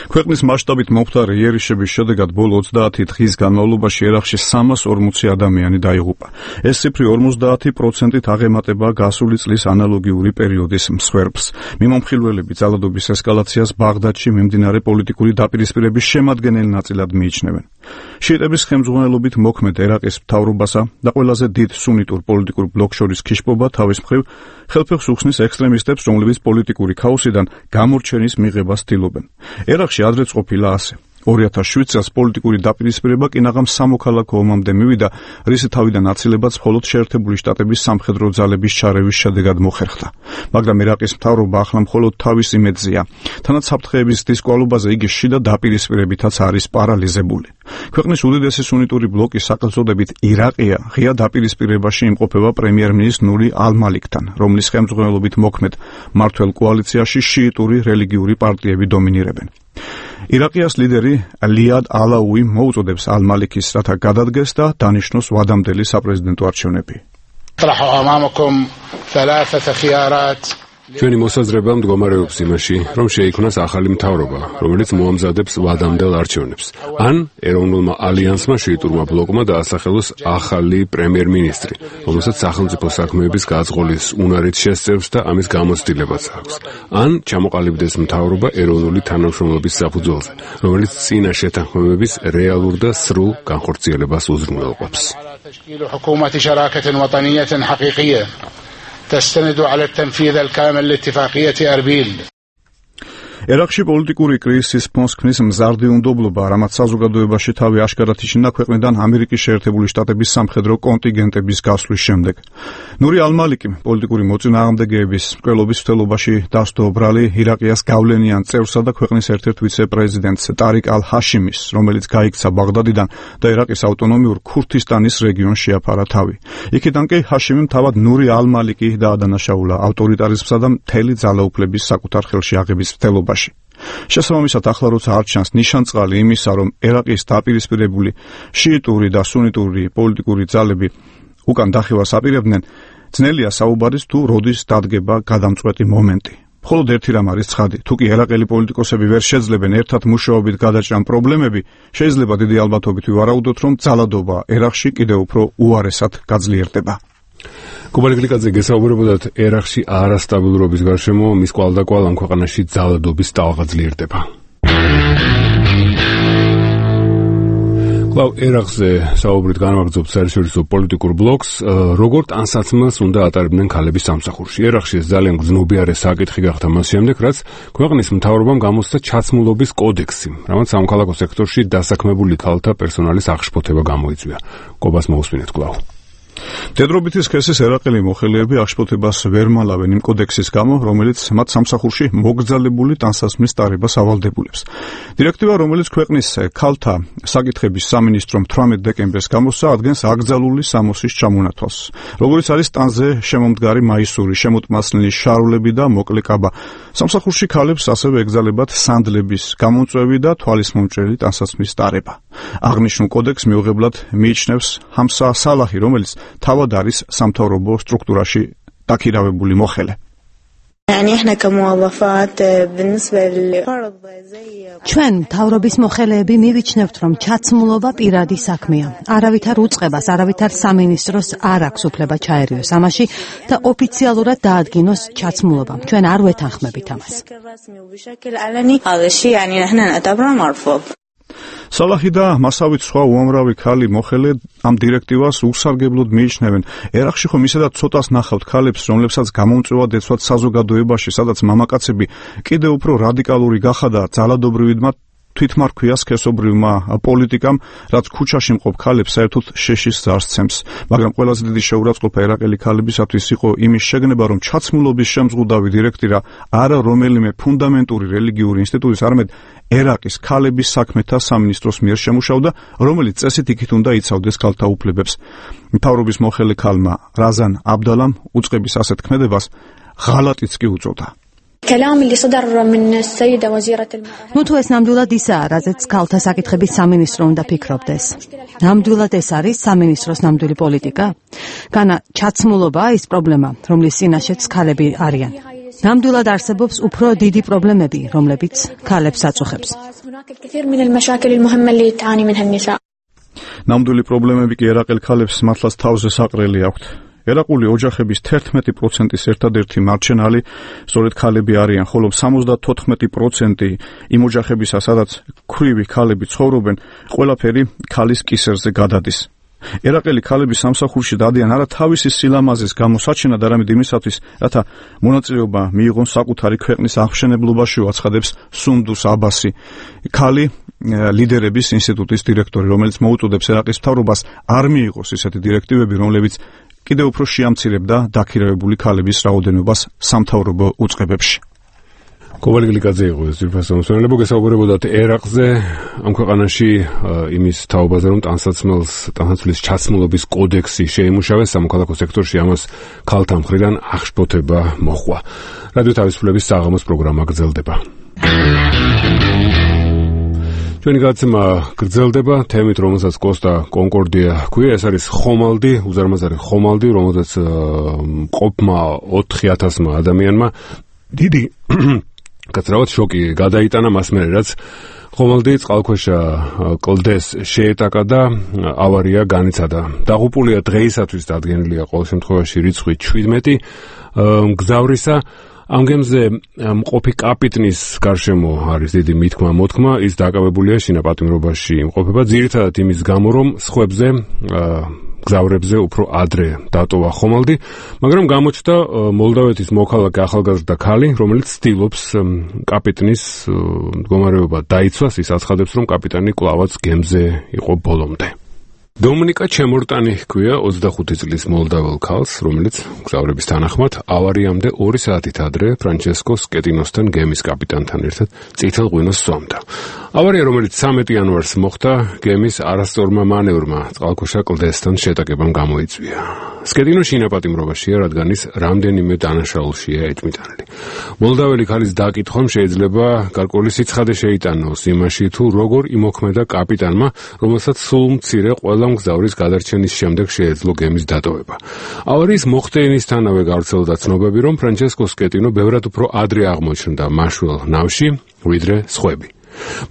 ქვეყნის მასშტაბით მომხდარი იერიშების შედეგად ბოლო ოცდაათი დღის განმავლობაში ერახში სამას ორმოცი ადამიანი დაიღუპა. ეს ციფრი ორმოცდაათი პროცენტით აღემატება გასული წლის ანალოგიური პერიოდის მსხვერპლს. მიმომხილველები ძალადობის ესკალაციას ბაღდადში მიმდინარე პოლიტიკური დაპირისპირების შემადგენელი ნაწილად მიიჩნევენ. შიიტების ხელმძღვანელობით მოქმედ ერაყის მთავრობასა და ყველაზე დიდ სუნიტურ პოლიტიკურ ბლოკ შორის ქიშპობა თავის მხრივ ხელფეხს უხსნის ექსტრემისტებს, რომლებიც პოლიტიკური ქაოსიდან გამორჩენის მიღებას ცდილობენ. ერაყში ადრეც ყოფილა ასე. ორი ათას შვიდ წელს პოლიტიკური დაპირისპირება კინაღამ სამოქალაქო ომამდე მივიდა, რის თავიდან აცილებაც მხოლოდ შეერთებული შტატების სამხედრო ძალების ჩარევის შედეგად მოხერხდა. მაგრამ ერაყის მთავრობა ახლა მხოლოდ თავის იმედზეა. თანაც საფრთხეების დისკვალობაზე იგი შიდა დაპირისპირებითაც არის პარალიზებული. ქვეყნის უდიდესი სუნიტური ბლოკი სახელწოდებით ირაყია ღია დაპირისპირებაში იმყოფება პრემიერ-მინისტრ ნური ალ-მალიქთან, რომლის ხელმძღვანელობით მოქმედ მმართველ კოალიციაში შიიტური რელიგიური პარტიები დომინირებენ. ირაყიას ლიდერი ლიად ალაუი მოუწოდებს ალ-მალიქის, რათა გადადგეს და დანიშნოს ვადამდელი საპრეზიდენტო არჩევნები. ჩვენი მოსაზრება მდგომარეობს იმაში, რომ შეიქმნას ახალი მთავრობა, რომელიც მოამზადებს ვადამდელ არჩევნებს. ან ეროვნულმა ალიანსმა შიიტურმა ბლოკმა დაასახელოს ახალი პრემიერ-მინისტრი, რომელსაც სახელმწიფო საქმეების გაძღოლის უნარით შესწევს და ამის გამოცდილებაც აქვს. ან ჩამოყალიბდეს მთავრობა ეროვნული თანამშრომლობის საფუძველზე, რომელიც წინა შეთანხმებების რეალურ და სრულ განხორციელებას უზრუნველყოფს. تستند على التنفيذ الكامل لاتفاقية أربيل. ერაყში პოლიტიკური კრიზისის ფონს ქმნის მზარდი უნდობლობა, რამაც საზოგადოებაში თავი აშკარად იჩინდა ქვეყნიდან ამერიკის შეერთებული შტატების სამხედრო კონტინგენტების გასვლის შემდეგ. ნური ალ-მალიკი პოლიტიკური მოწინააღმდეგეების მკვლელობის მცდელობაში დასდო ბრალი ირაყიას გავლენიან წევრსა და ქვეყნის ერთ-ერთ ვიცე-პრეზიდენტს ტარიკ ალ-ჰაშიმის, რომელიც გაიქცა ბაღდადიდან და ერაყის ავტონომიურ ქურთისტანის რეგიონს შეაფარა თავი. იქიდან კი ჰაშიმიმ თავად ნური ალ-მალიკი დაადანაშაულა ავტორიტარიზმსა და მთელი ძალაუფლების საკუთარ ხელში აღების მცდელობაში. შესაბამისად, ახლა როცა არ ჩანს ნიშანწყალი იმისა, რომ ერაყის დაპირისპირებული შიიტური და სუნიტური პოლიტიკური ძალები უკან დახევას აპირებდნენ, ძნელია საუბარის თუ როდის დადგება გადამწყვეტი მომენტი. მხოლოდ ერთი რამ არის ცხადი, თუ კი ერაყელი პოლიტიკოსები ვერ შეძლებენ ერთად მუშაობით გადაჭრან პრობლემები, შეიძლება დიდი ალბათობით ვივარაუდოთ, რომ ძალადობა ერაყში კიდევ უფრო უარესად გაძლიერდება. კუბალი გლიკაძე გესაუბრებოდათ ერაყში არასტაბილურობის გარშემო მის კვალდაკვალ ამ ქვეყანაში ძალადობის ტალღა ძლიერდება. კვლავ ერაყზე საუბრით განვაგრძობთ საერთაშორისო პოლიტიკურ ბლოკს, როგორ ტანსაცმელს უნდა ატარებდნენ ქალების სამსახურში. ერაყში ეს ძალიან გრძნობიარე საკითხი გახდა მას შემდეგ, რაც ქვეყნის მთავრობამ გამოსცა ჩაცმულობის კოდექსი, რამაც სამოქალაქო სექტორში დასაქმებული ქალთა პერსონალის აღშფოთება გამოიწვია. კობას მოусმინეთ კვლავ. დედრობითი სქესის ერაყელი მოხელეები აღშფოთებას ვერ მალავენ იმ კოდექსის გამო, რომელიც მათ სამსახურში მოგრძალებული ტანსაცმლის ტარებას ავალდებულებს. დირექტივა, რომელიც ქვეყნის ქალთა საკითხების სამინისტრომ თვრამეტ დეკემბერს გამოსცა, ადგენს აკრძალული სამოსის ჩამონათვალს. როგორც არის ტანზე შემომდგარი მაისური, შემოტმასლნი შარულები და მოკლე კაბა. სამსახურში ქალებს ასევე ეკრძალებათ სანდლების გამომწვევი და თვალის მომჭრელი ტანსაცმლის ტარება. აღნიშნულ კოდექსს მიუღებლად მიიჩნევს ჰამსა სალაჰი, რომელიც თავად არის სამთავრობო სტრუქტურაში დაქირავებული მოხელე. ჩვენ მთავრობის მოხელეები მივიჩნევთ, რომ ჩაცმულობა პირადი საქმეა. არავითარ უწყებას, არავითარ სამინისტროს არ აქვს უფლება ჩაერიოს ამაში და ოფიციალურად დაადგინოს ჩაცმულობა. ჩვენ არ ვეთანხმებით ამას. სალაჰი და მასავით სხვა უამრავი ქალი მოხელე ამ დირექტივას უსარგებლოდ მიიჩნევენ. ერაყში ხომ ისედაც ცოტას ნახავთ ქალებს, რომლებსაც გამომწვევად ეცვათ საზოგადოებაში, სადაც მამაკაცები კიდევ უფრო რადიკალური გახადა ძალადობრივიდმა თვითმარქვია სქესობრივმა პოლიტიკამ, რაც ქუჩაში მყოფ ქალებს საერთოდ შეშის ზარს ცემს. მაგრამ ყველაზე დიდი შეურაცხყოფა ერაყელი ქალებისათვის იყო იმის შეგნება, რომ ჩაცმულობის შემზღუდავი დირექტივა არა რომელიმე ფუნდამენტური რელიგიური ინსტიტუტის, არამედ ერაყის ქალების საქმეთა სამინისტროს მიერ შემუშავდა, რომელიც წესით იქით უნდა იცავდეს ქალთა უფლებებს. მთავრობის მოხელე ქალმა რაზან აბდალამ უწყების ასეთ ქმედებას ღალატიც კი უწოდა. ნუ თუ ეს ნამდვილად ისაა, რაზეც ქალთა საკითხების სამინისტრო უნდა ფიქრობდეს. ნამდვილად ეს არის სამინისტროს ნამდვილი პოლიტიკა? განა ჩაცმულობაა ის პრობლემა, რომლის წინაშეც ქალები არიან. ნამდვილად არსებობს უფრო დიდი პრობლემები, რომლებიც ქალებს აწუხებს. ნამდვილი პრობლემები კი ერაყელ ქალებს მართლაც თავზე საყრელი აქვთ. ერაყული ოჯახების თერთმეტი პროცენტის ერთადერთი მარჩენალი სწორედ ქალები არიან, ხოლო სამოცდათოთხმეტი პროცენტი იმ ოჯახებისა, სადაც ქვრივი ქალები ცხოვრობენ, ყველაფერი ქალის კისერზე გადადის. ერაყელი ქალები სამსახურში დადიან არა თავისი სილამაზის გამოსაჩენად, არამედ იმისათვის, რათა მონაწილეობა მიიღონ საკუთარი ქვეყნის აღმშენებლობაში, აცხადებს სუნდუს აბასი, ქალი ლიდერების ინსტიტუტის დირექტორი, რომელიც მოუწოდებს ერაყის მთავრობას არ მიიღოს ისეთი დირექტივები, რომლებიც კიდევ უფრო შეამცირებდა დაქირავებული ქალების რაოდენობას სამთავრობო უწყებებში. კოვალ გლიკაძე იყო ეს ძირფასო მოსვენებო, გესაუბრებოდათ ერაყზე, ამ ქვეყანაში იმის თაობაზე, რომ ტანსაცმელს, ტანსაცმლის ჩაცმულობის კოდექსი შეიმუშავეს სამოქალაქო სექტორში, ამას ქალთა მხრიდან აღშფოთება მოჰყვა. რადიო თავისუფლების საღამოს პროგრამა გრძელდება. ჩვენი გადაცემა გრძელდება თემით, რომელსაც კოსტა კონკორდია ჰქვია, ეს არის ხომალდი, უზარმაზარი ხომალდი, რომელსაც მყოფმა ოთხი ათასმა ადამიანმა დიდი კაცრავად შოკი გადაიტანა მას მერე, რაც ხომალდი წყალქვეშა კლდეს შეეტაკა და ავარია განიცადა. დაღუპულია დღეისათვის დადგენილია ყოველ შემთხვევაში რიცხვი შვიდმეტი მგზავრისა. ამ გემზე მყოფი კაპიტნის გარშემო არის დიდი მითქმა მოთქმა, ის დაკავებულია შინაპატიმრობაში იმყოფება ძირითადად იმის გამო, რომ სხვებზე გზავრებზე უფრო ადრე დატოვა ხომალდი, მაგრამ გამოჩნდა მოლდავეთის მოქალაქე ახალგაზრდა ქალი, რომელიც ცდილობს კაპიტნის მდგომარეობა დაიცვას, ის აცხადებს, რომ კაპიტანი კვლავაც გემზე იყო ბოლომდე. დომინიკა ჩემორტანი ჰქვია ოცდახუთი წლის მოლდაվել ქალს, რომელიც გზავრების თანახმად ავარიამდე ორი საათით ადრე ფრანჩესკო სკეტინოსთან გემის კაპიტანთან ერთად წითელ ღვინოს სვამდა. ავარია, რომელიც სამი იანვარს მოხდა, გემის არასწორმა მანევრმა წყალქვეშა კლდესთან შეტაკებამ გამოიწვია. სკეტინო შინაპატიმრობაშია, რადგან ის რამდენიმე დანაშაულშია ეჭვმიტანილი. მოლდაველი ქალის დაკითხვამ შეიძლება გარკვეული სიცხადე შეიტანოს იმაში, თუ როგორ იმოქმედა კაპიტანმა, რომელსაც სულ მცირე ყველა მგზავრის გადარჩენის შემდეგ შეეძლო გემის დატოვება. ავარიის მოხდენისთანავე გავრცელდა ცნობები, რომ ფრანჩესკო სკეტინო ბევრად უფრო ადრე აღმოჩნდა მაშველ ნავში, ვიდრე სხვები.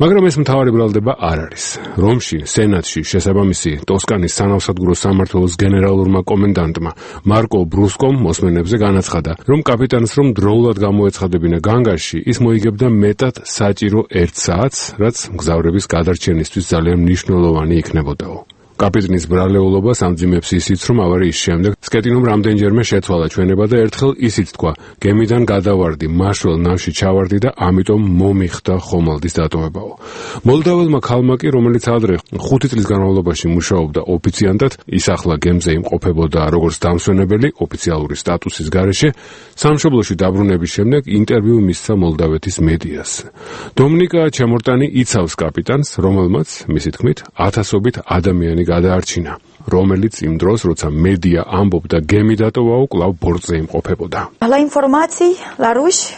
მაგრამ ეს მთავარი ბრალდება არ არის. რომში, სენატში შესაბამისი ტოსკანის სანავსადგურო სამმართველოს გენერალურმა კომენდანტმა მარკო ბრუსკომ მოსმენებზე განაცხადა, რომ კაპიტანს რომ დროულად გამოეცხადებინა განგარში, ის მოიგებდა მეტად საჭირო ერთ საათს, რაც მგზავრების გადარჩენისთვის ძალიან მნიშვნელოვანი იქნებოდაო. კაპიტნის ბრალეულობას ამძიმებს ისიც, რომ ავარიის შემდეგ სკეტინომ რამდენჯერმე შეცვალა ჩვენება და ერთხელ ისიც თქვა, გემიდან გადავარდი, მაშველ ნავში ჩავარდი და ამიტომ მომიხდა ხომალდის დატოვებაო. მოლდაველმა ქალმა კი, რომელიც ადრე ხუთი წლის განმავლობაში მუშაობდა ოფიციანტად, ის ახლა გემზე იმყოფებოდა როგორც დამსვენებელი ოფიციალური სტატუსის გარეშე, სამშობლოში დაბრუნების შემდეგ ინტერვიუ მისცა მოლდავეთის მედიას. დომნიკა ჩემორტანი იცავს კაპიტანს, რომელმაც, მისი თქმით, ათასობით ადამიანი გადაარჩინა, რომელიც იმ დროს, როცა მედია ამბობდა გემი დატოვაო, კვლავ ბორტზე იმყოფებოდა. La informații la ruși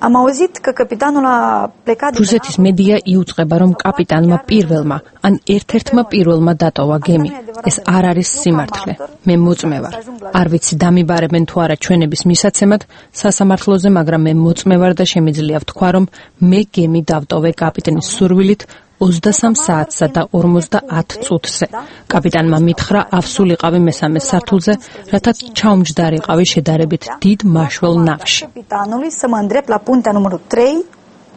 am auzit că capitanul a plecat. რუსეთის მედია იუწყება, რომ კაპიტანმა პირველმა, ან ერთ-ერთმა პირველმა დატოვა გემი. ეს არ არის სიმართლე. მე მოწმე ვარ. არ ვიცი დამიბარებენ თუ არა ჩვენების მისაცემად სასამართლოზე, მაგრამ მე მოწმე ვარ და შემიძლია ვთქვა, რომ მე გემი დავტოვე კაპიტნის სურვილით ოცდასამ საათსა და ორმოცდაათ წუთზე. კაპიტანმა მითხრა ავსულიყავი მესამე სართულზე, რათა ჩაუმჯდარიყავი შედარებით დიდ მაშველ ნავში. Capitanului să mă îndrept la puntea numărul trei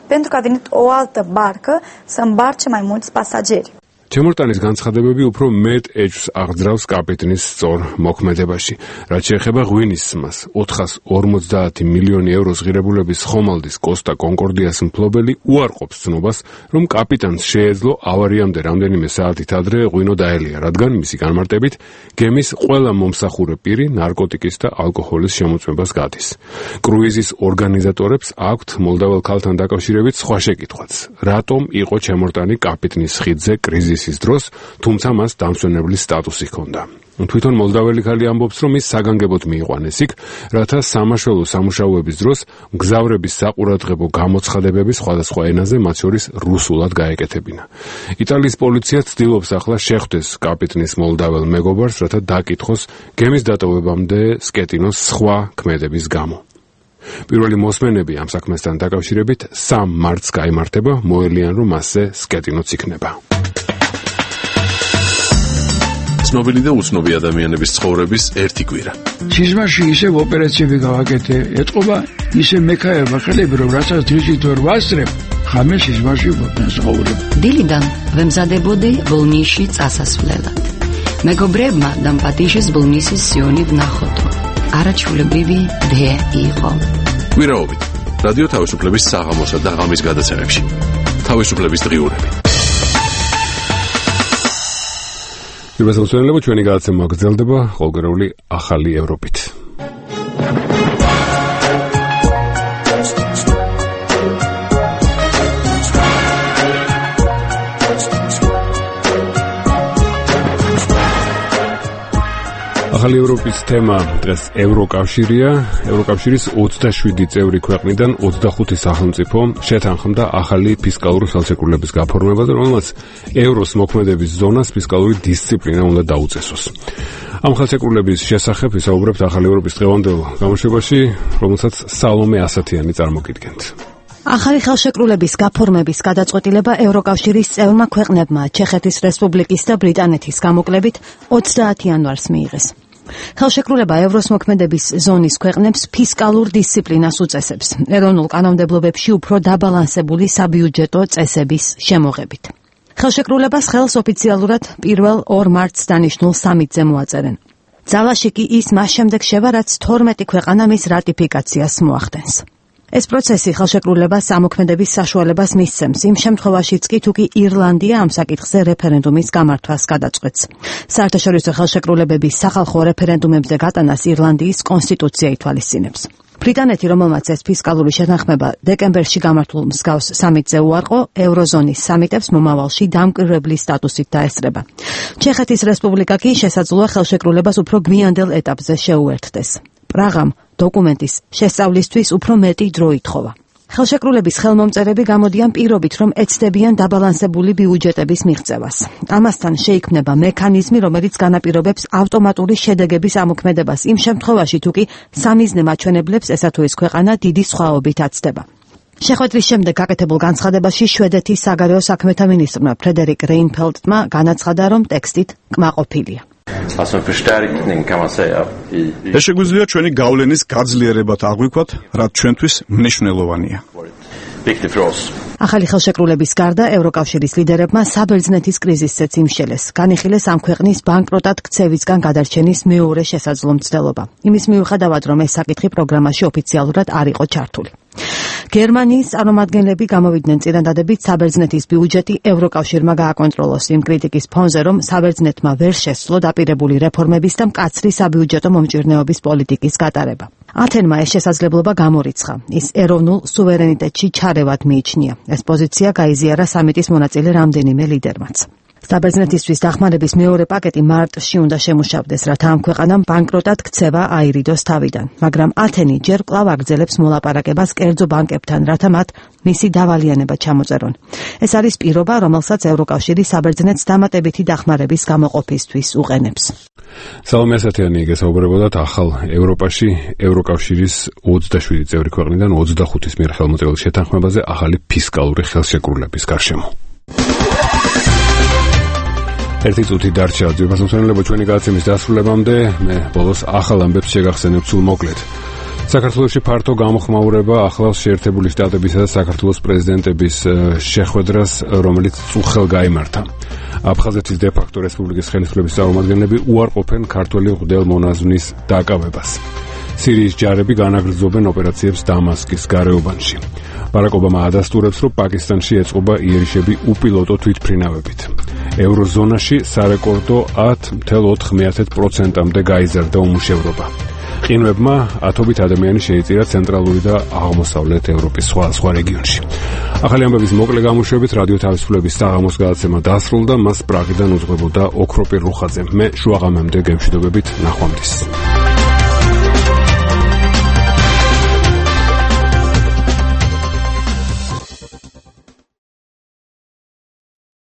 pentru că a venit o altă barcă să îmbarce mai mulți pasageri. ჩემორტანის განცხადებები უფრო მეტ ეჭვს აღძრავს კაპიტნის სწორ მოქმედებაში. რაც შეეხება ღვინის სმას, ოთხას ორმოცდაათი მილიონი ევროს ღირებულების ხომალდის კოსტა კონკორდიას მფლობელი უარყოფს ცნობას, რომ კაპიტანს შეეძლო ავარიამდე რამდენიმე საათით ადრე ღვინო დაელია, რადგან მისი განმარტებით გემის ყველა მომსახურე პირი ნარკოტიკის და ალკოჰოლის შემოწმებას გადის. კრუიზის ორგანიზატორებს აქვთ მოლდავალ ქალთან დაკავშირებით სხვა შეკითხვაც. რატომ იყო ჩემორტანი კაპიტნის ხიდზე კრიზის ის დროს, თუმცა მას დამსვენებლის სტატუსი ჰქონდა. თვითონ მოლდაველი ქალი ამბობს, რომ ის საგანგებოდ მიიყვანეს იქ, რათა სამაშველო სამუშაოების დროს მგზავრების საყურადღებო გამოცხადებები სხვადასხვა ენაზე, მათ შორის რუსულად გაეკეთებინა. იტალიის პოლიცია ცდილობს ახლა შეხვდეს კაპიტნის მოლდაվել მეგობარს, რათა დაკითხოს გემის დატოვებამდე სკეტინოს სხვა ქმედების გამო. პირველი მოსმენები ამ საქმესთან დაკავშირებით სამ მარტს გაიმართება, მოელიან, რომ მასზე სკეტინოც იქნება. ცნობილი და უცნობი ადამიანების ცხოვრების ერთი კვირა. სიზმარში ისევ ოპერაციები გავაკეთე, ეთყობა ისე მექაება ხელები, რომ რასაც დღისით ვერ ვასწრებ, ხამე სიზმარში ვცხოვრობ. დილიდან ვემზადებოდი ბოლნისში წასასვლელად. მეგობრებმა დამპატიშეს ბოლნისის სიონი ვნახოთ. არაჩვეულებრივი დღე იყო. კვირაობით რადიო თავისუფლების საღამოსა და ღამის გადაცემებში. თავისუფლების დღიურები. პირველსაუბრელები ჩვენი გადაცემა გრძელდება ყოველგვარული ახალი ევროპით. ახალი ევროპის თემა დღეს ევროკავშირია. ევროკავშირის ოცდაშვიდი წევრი ქვეყნიდან ოცდახუთი სახელმწიფო შეთანხმდა ახალი ფისკალური ხელშეკრულების გაფორმებაზე, რომელმაც ევროს მოქმედების ზონას ფისკალური დისციპლინა უნდა დაუწესოს. ამ ხელშეკრულების შესახებ ვისაუბრებთ ახალი ევროპის დღევანდელ გამოშვებაში, რომელსაც სალომე ასათიანი წარმოგიდგენთ. ახალი ხელშეკრულების გაფორმების გადაწყვეტილება ევროკავშირის წევრმა ქვეყნებმა ჩეხეთის რესპუბლიკის და ბრიტანეთის გამოკლებით ოცდაათი იანვარს მიიღეს. ხელშეკრულება ევროს მოქმედების ზონის ქვეყნებს ფისკალურ დისციპლინას უწესებს, ეროვნულ კანონმდებლობებში უფრო დაბალანსებული საბიუჯეტო წესების შემოღებით. ხელშეკრულებას ხელს ოფიციალურად პირველ ორ მარტს დანიშნულ სამიტზე მოაწერენ. ძალაში კი ის მას შემდეგ შევა, რაც თორმეტი ქვეყანა მის რატიფიკაციას მოახდენს. ეს პროცესი ხელშეკრულებას ამოქმედების საშუალებას მისცემს იმ შემთხვევაშიც კი თუ კი ირლანდია ამ საკითხზე რეფერენდუმის გამართვას გადაწყვეტს. საერთაშორისო ხელშეკრულებების სახალხო რეფერენდუმებზე გატანას ირლანდიის კონსტიტუცია ითვალისწინებს. ბრიტანეთი, რომელმაც ეს ფისკალური შეთანხმება დეკემბერში გამართულ მსგავს სამიტზე უარყო, ევროზონის სამიტებს მომავალში დამკვირვებლის სტატუსით დაესწრება. ჩეხეთის რესპუბლიკა კი შესაძლოა ხელშეკრულებას უფრო გვიანდელ ეტაპზე შეუერთდეს. პრაღამ დოკუმენტის შესწავლისთვის უფრო მეტი დრო ითხოვა. ხელშეკრულების ხელმომწერები გამოდიან პირობით, რომ ეცდებიან დაბალანსებული ბიუჯეტების მიღწევას. ამასთან შეიქმნება მექანიზმი, რომელიც განაპირობებს ავტომატური შედეგების ამოქმედებას იმ შემთხვევაში, თუ კი სამიზნე მაჩვენებლებს ესა თუ ის ქვეყანა დიდი სხვაობით აცდება. შეხვედრის შემდეგ გაკეთებულ განცხადებაში შვედეთის საგარეო საქმეთა მინისტრმა ფრედერიკ რეინფელდმა განაცხადა, რომ ტექსტით კმაყოფილია. ეს შეგვიძლია ჩვენი გავლენის გაძლიერებად აღვიქვათ, რაც ჩვენთვის მნიშვნელოვანია. ახალი ხელშეკრულების გარდა ევროკავშირის ლიდერებმა საბერძნეთის კრიზისზეც იმშელეს. განიხილეს ამ ქვეყნის ბანკროტად ქცევისგან გადარჩენის მეორე შესაძლო მცდელობა. იმის მიუხედავად, რომ ეს საკითხი პროგრამაში ოფიციალურად არ იყო ჩართული. გერმანიის წარმომადგენლები გამოვიდნენ წინადადებით საბერძნეთის ბიუჯეტი ევროკავშირმა გააკონტროლოს იმ კრიტიკის ფონზე, რომ საბერძნეთმა ვერ შესძლო დაპირებული რეფორმების და მკაცრი საბიუჯეტო მომჭირნეობის პოლიტიკის გატარება. ათენმა ეს შესაძლებლობა გამორიცხა. ის ეროვნულ სუვერენიტეტში ჩარევად მიიჩნია. ეს პოზიცია გაიზიარა სამიტის მონაწილე რამდენიმე ლიდერმაც. საბერძნეთისთვის დახმარების მეორე პაკეტი მარტში უნდა შემუშავდეს, რათა ამ ქვეყანამ ბანკროტად ქცევა აირიდოს თავიდან. მაგრამ ათენი ჯერ კვლავ აგრძელებს მოლაპარაკებას კერძო ბანკებთან, რათა მათ მისი დავალიანება ჩამოწერონ. ეს არის პირობა, რომელსაც ევროკავშირი საბერძნეთს დამატებითი დახმარების გამოყოფისთვის უყენებს. სალომე ასათიანი გესაუბრებოდათ ახალ ევროპაში ევროკავშირის ოცდაშვიდი წევრი ქვეყნიდან ოცდახუთის მიერ ხელმოწერილ შეთანხმებაზე ახალი ფისკალური ხელშეკრულების გარშემო. ერთი წუთი დარჩა ძვირფას მომხმარებლებო ჩვენი გადაცემის დასრულებამდე. მე ბოლოს ახალ ამბებს შეგახსენებ სულ მოკლედ. საქართველოში ფართო გამოხმაურება ახლავს შეერთებული შტატებისა და საქართველოს პრეზიდენტების შეხვედრას, რომელიც წუხელ გაიმართა. აფხაზეთის დე-ფაქტო რესპუბლიკის ხელისუფლების წარმომადგენლები უარყოფენ ქართველი მღვდელმონაზვნის დაკავებას. სირიის ჯარები განაგრძობენ ოპერაციებს დამასკის გარეუბანში. ბარაკ ობამა ადასტურებს, რომ პაკისტანში ეწყობა იერიშები უპილოტო თვითმფრინავებით. ევროზონაში სარეკორდო ათი კoma ოთხ პროცენტამდე გაიზარდა უმუშევრობა. ყინვებმა ათობით ადამიანი შეიწირა ცენტრალური და აღმოსავლეთ ევროპის სხვა სხვა რეგიონში. ახალი ამბების მოკლე გამოშვებით რადიო თავისუფლების საღამოს გადაცემა დასრულდა, მას პრაღიდან უძღვებოდა ოქროპირ რუხაძე. მე შუაღამემდე გემშვიდობებით, ნახვამდის.